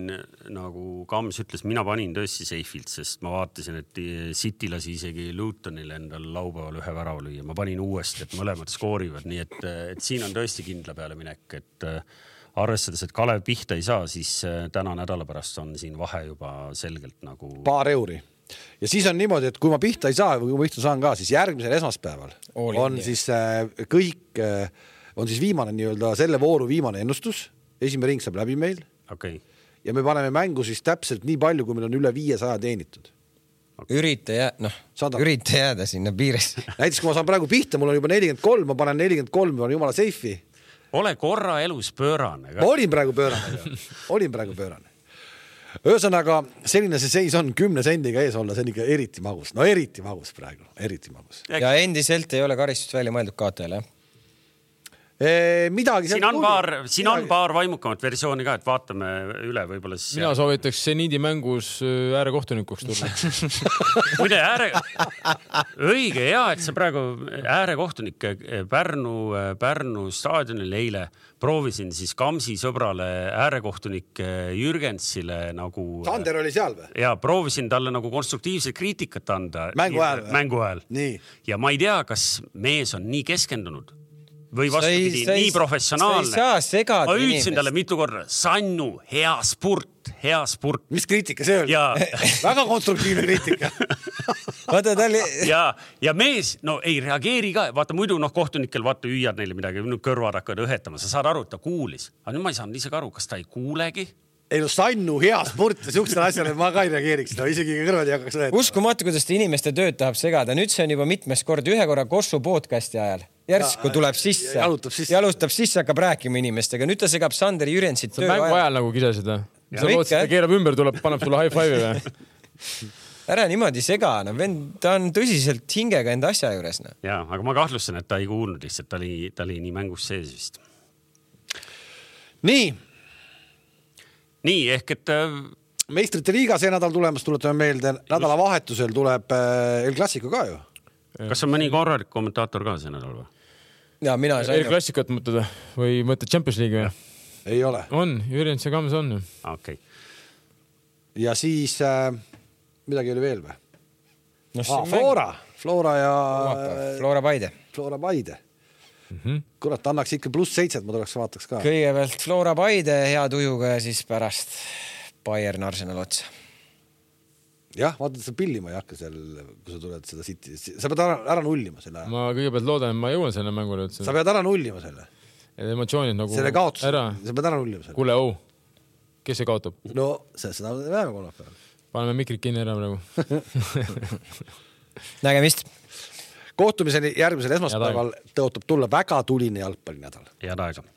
nagu Kams ütles, mina panin tõesti seifilt, sest ma vaatasin, et City lasi isegi Lutonile endal laupäeval ühe värava lüüa. Ma panin uuesti, et mõlemad skoorivad, nii et, et siin on tõesti kindla peale minek, et arvestades, et Kalev pihta ei saa, siis täna nädala pärast on siin vahe juba selgelt nagu... Paar
euri. Ja siis on niimoodi, et kui ma pihta ei saa või kui ma pihta saan ka, siis järgmisel esmaspäeval Olin, on jah. siis kõik, on siis viimane nii-öelda selle vooru viimane ennustus. Esimene ring saab läbi meil.
Okay.
Ja me paneme mängu siis täpselt nii palju, kui meil on üle viiesaja teenitud.
Okay. Ürita, jää, no, ürita jääda sinna piires.
Näiteks kui ma saan praegu pihta, mul on juba nelikümmend kolm, ma panen nelikümmend kolm, ma olen jumala seifi.
Ole korra elus pöörane.
Ma olin praegu pöörane. olin praegu pöörane. Ühesõnaga, selline see seis on kümne sendiga ees olla, see on ikka eriti magus. No eriti magus praegu, eriti magus.
Ja endiselt ei ole karistust välja mõeldud kaotajale.
E, midagi
siin on, paar, siin on paar vaimukamat versiooni ka, et vaatame üle võibolla siis.
Mina soovitaks seniidi mängus äärekohtunikuks tulla.
Muide, ääre... õige, hea, et see praegu äärekohtunik Pärnu, Pärnu staadionil eile proovisin siis Kamsi sõbrale äärekohtunik Jürgensile nagu...
Sander oli seal või?
Ja proovisin talle nagu konstruktiivset kriitikat anda.
Mängu ajal või?
Mängu ajal.
Nii.
Ja ma ei tea, kas mees on nii keskendunud või vastupidi, nii professionaalne.
Sa ei saa segada
ma ütlesin talle mitu korda, Sannu, hea spurt, hea spurt.
Mis kriitika see oli?
Ja...
väga konstruktiivne kriitika.
vaata, ta oli...
ja, ja mees, no ei reageeri ka. Vaata, muidu noh, kohtunikel vaata hüüad neile midagi, kõrvad hakkavad õhetama. Sa saad aru, et ta kuulis. Aga nüüd ma ei saanud ise aru, kas ta ei kuulegi.
Ei no Sannu, hea spurt ja siuksele asjale ma ka ei reageeriks. No, isegi kõrvad ei hakkaks õhetama.
Uskumatu, kuidas ta inimeste tööd tahab segada. Nüüd see on juba mitmes kord, ühe korra Kossu podcasti ajal. Järsku tuleb sisse,
jalutab sisse,
jalutab sisse, hakkab rääkima inimestega. Nüüd ta segab Sander Jürensit töö
mängu ajal nagu kisasid. Sa lootsid, ta keerab ümber, tuleb, paneb sulle high five'i või?
Ära niimoodi sega, no vend, ta on tõsiselt hingega enda asja juures. No.
Ja, aga ma kahtlustan, et ta ei kuulnud lihtsalt, ta oli, ta oli nii mängus sees vist.
Nii.
Nii, ehk et...
Meistrite liiga see nädal tulemas, tuletame meelde, nädala vahetusel tuleb El Clasico ka ju.
Kas on mõni korralik kommentaator ka see nädal või?
Ja, mina sain...
El Clasicut mõtled või mõtled Champions League või?
Ei ole.
On, Jürjens ja Kams on ju.
Okay.
Ja siis äh, midagi oli veel või?
No,
ah, Flora. Flora ja...
Flora Paide.
Flora Paide.
Mm-hmm.
Kurat, annaks ikka pluss seitset, ma tuleks vaataks ka.
Kõigepealt Flora Paide hea tujuga ja siis pärast Bayern Arsenal otsa.
Jah, vaata, sa pillima ei hakka seal, kui sa tuled seda City. Sa pead ära, ära nullima selle.
Ma kõigepealt loodan, et ma jõuan selle mängule.
Sa pead ära nullima selle.
Emotsioonid nagu...
Selle kaotus.
Ära.
Sa pead ära nullima selle.
Kuule, au. Kes see kaotab?
No, seda väheme kolmapäeval.
Paneme mikrid kinni ära praegu.
Nägemist.
Kohtumiseni järgmisel esmaspäeval tõotab tulla väga tuline jalgpallinädal.
Head aega.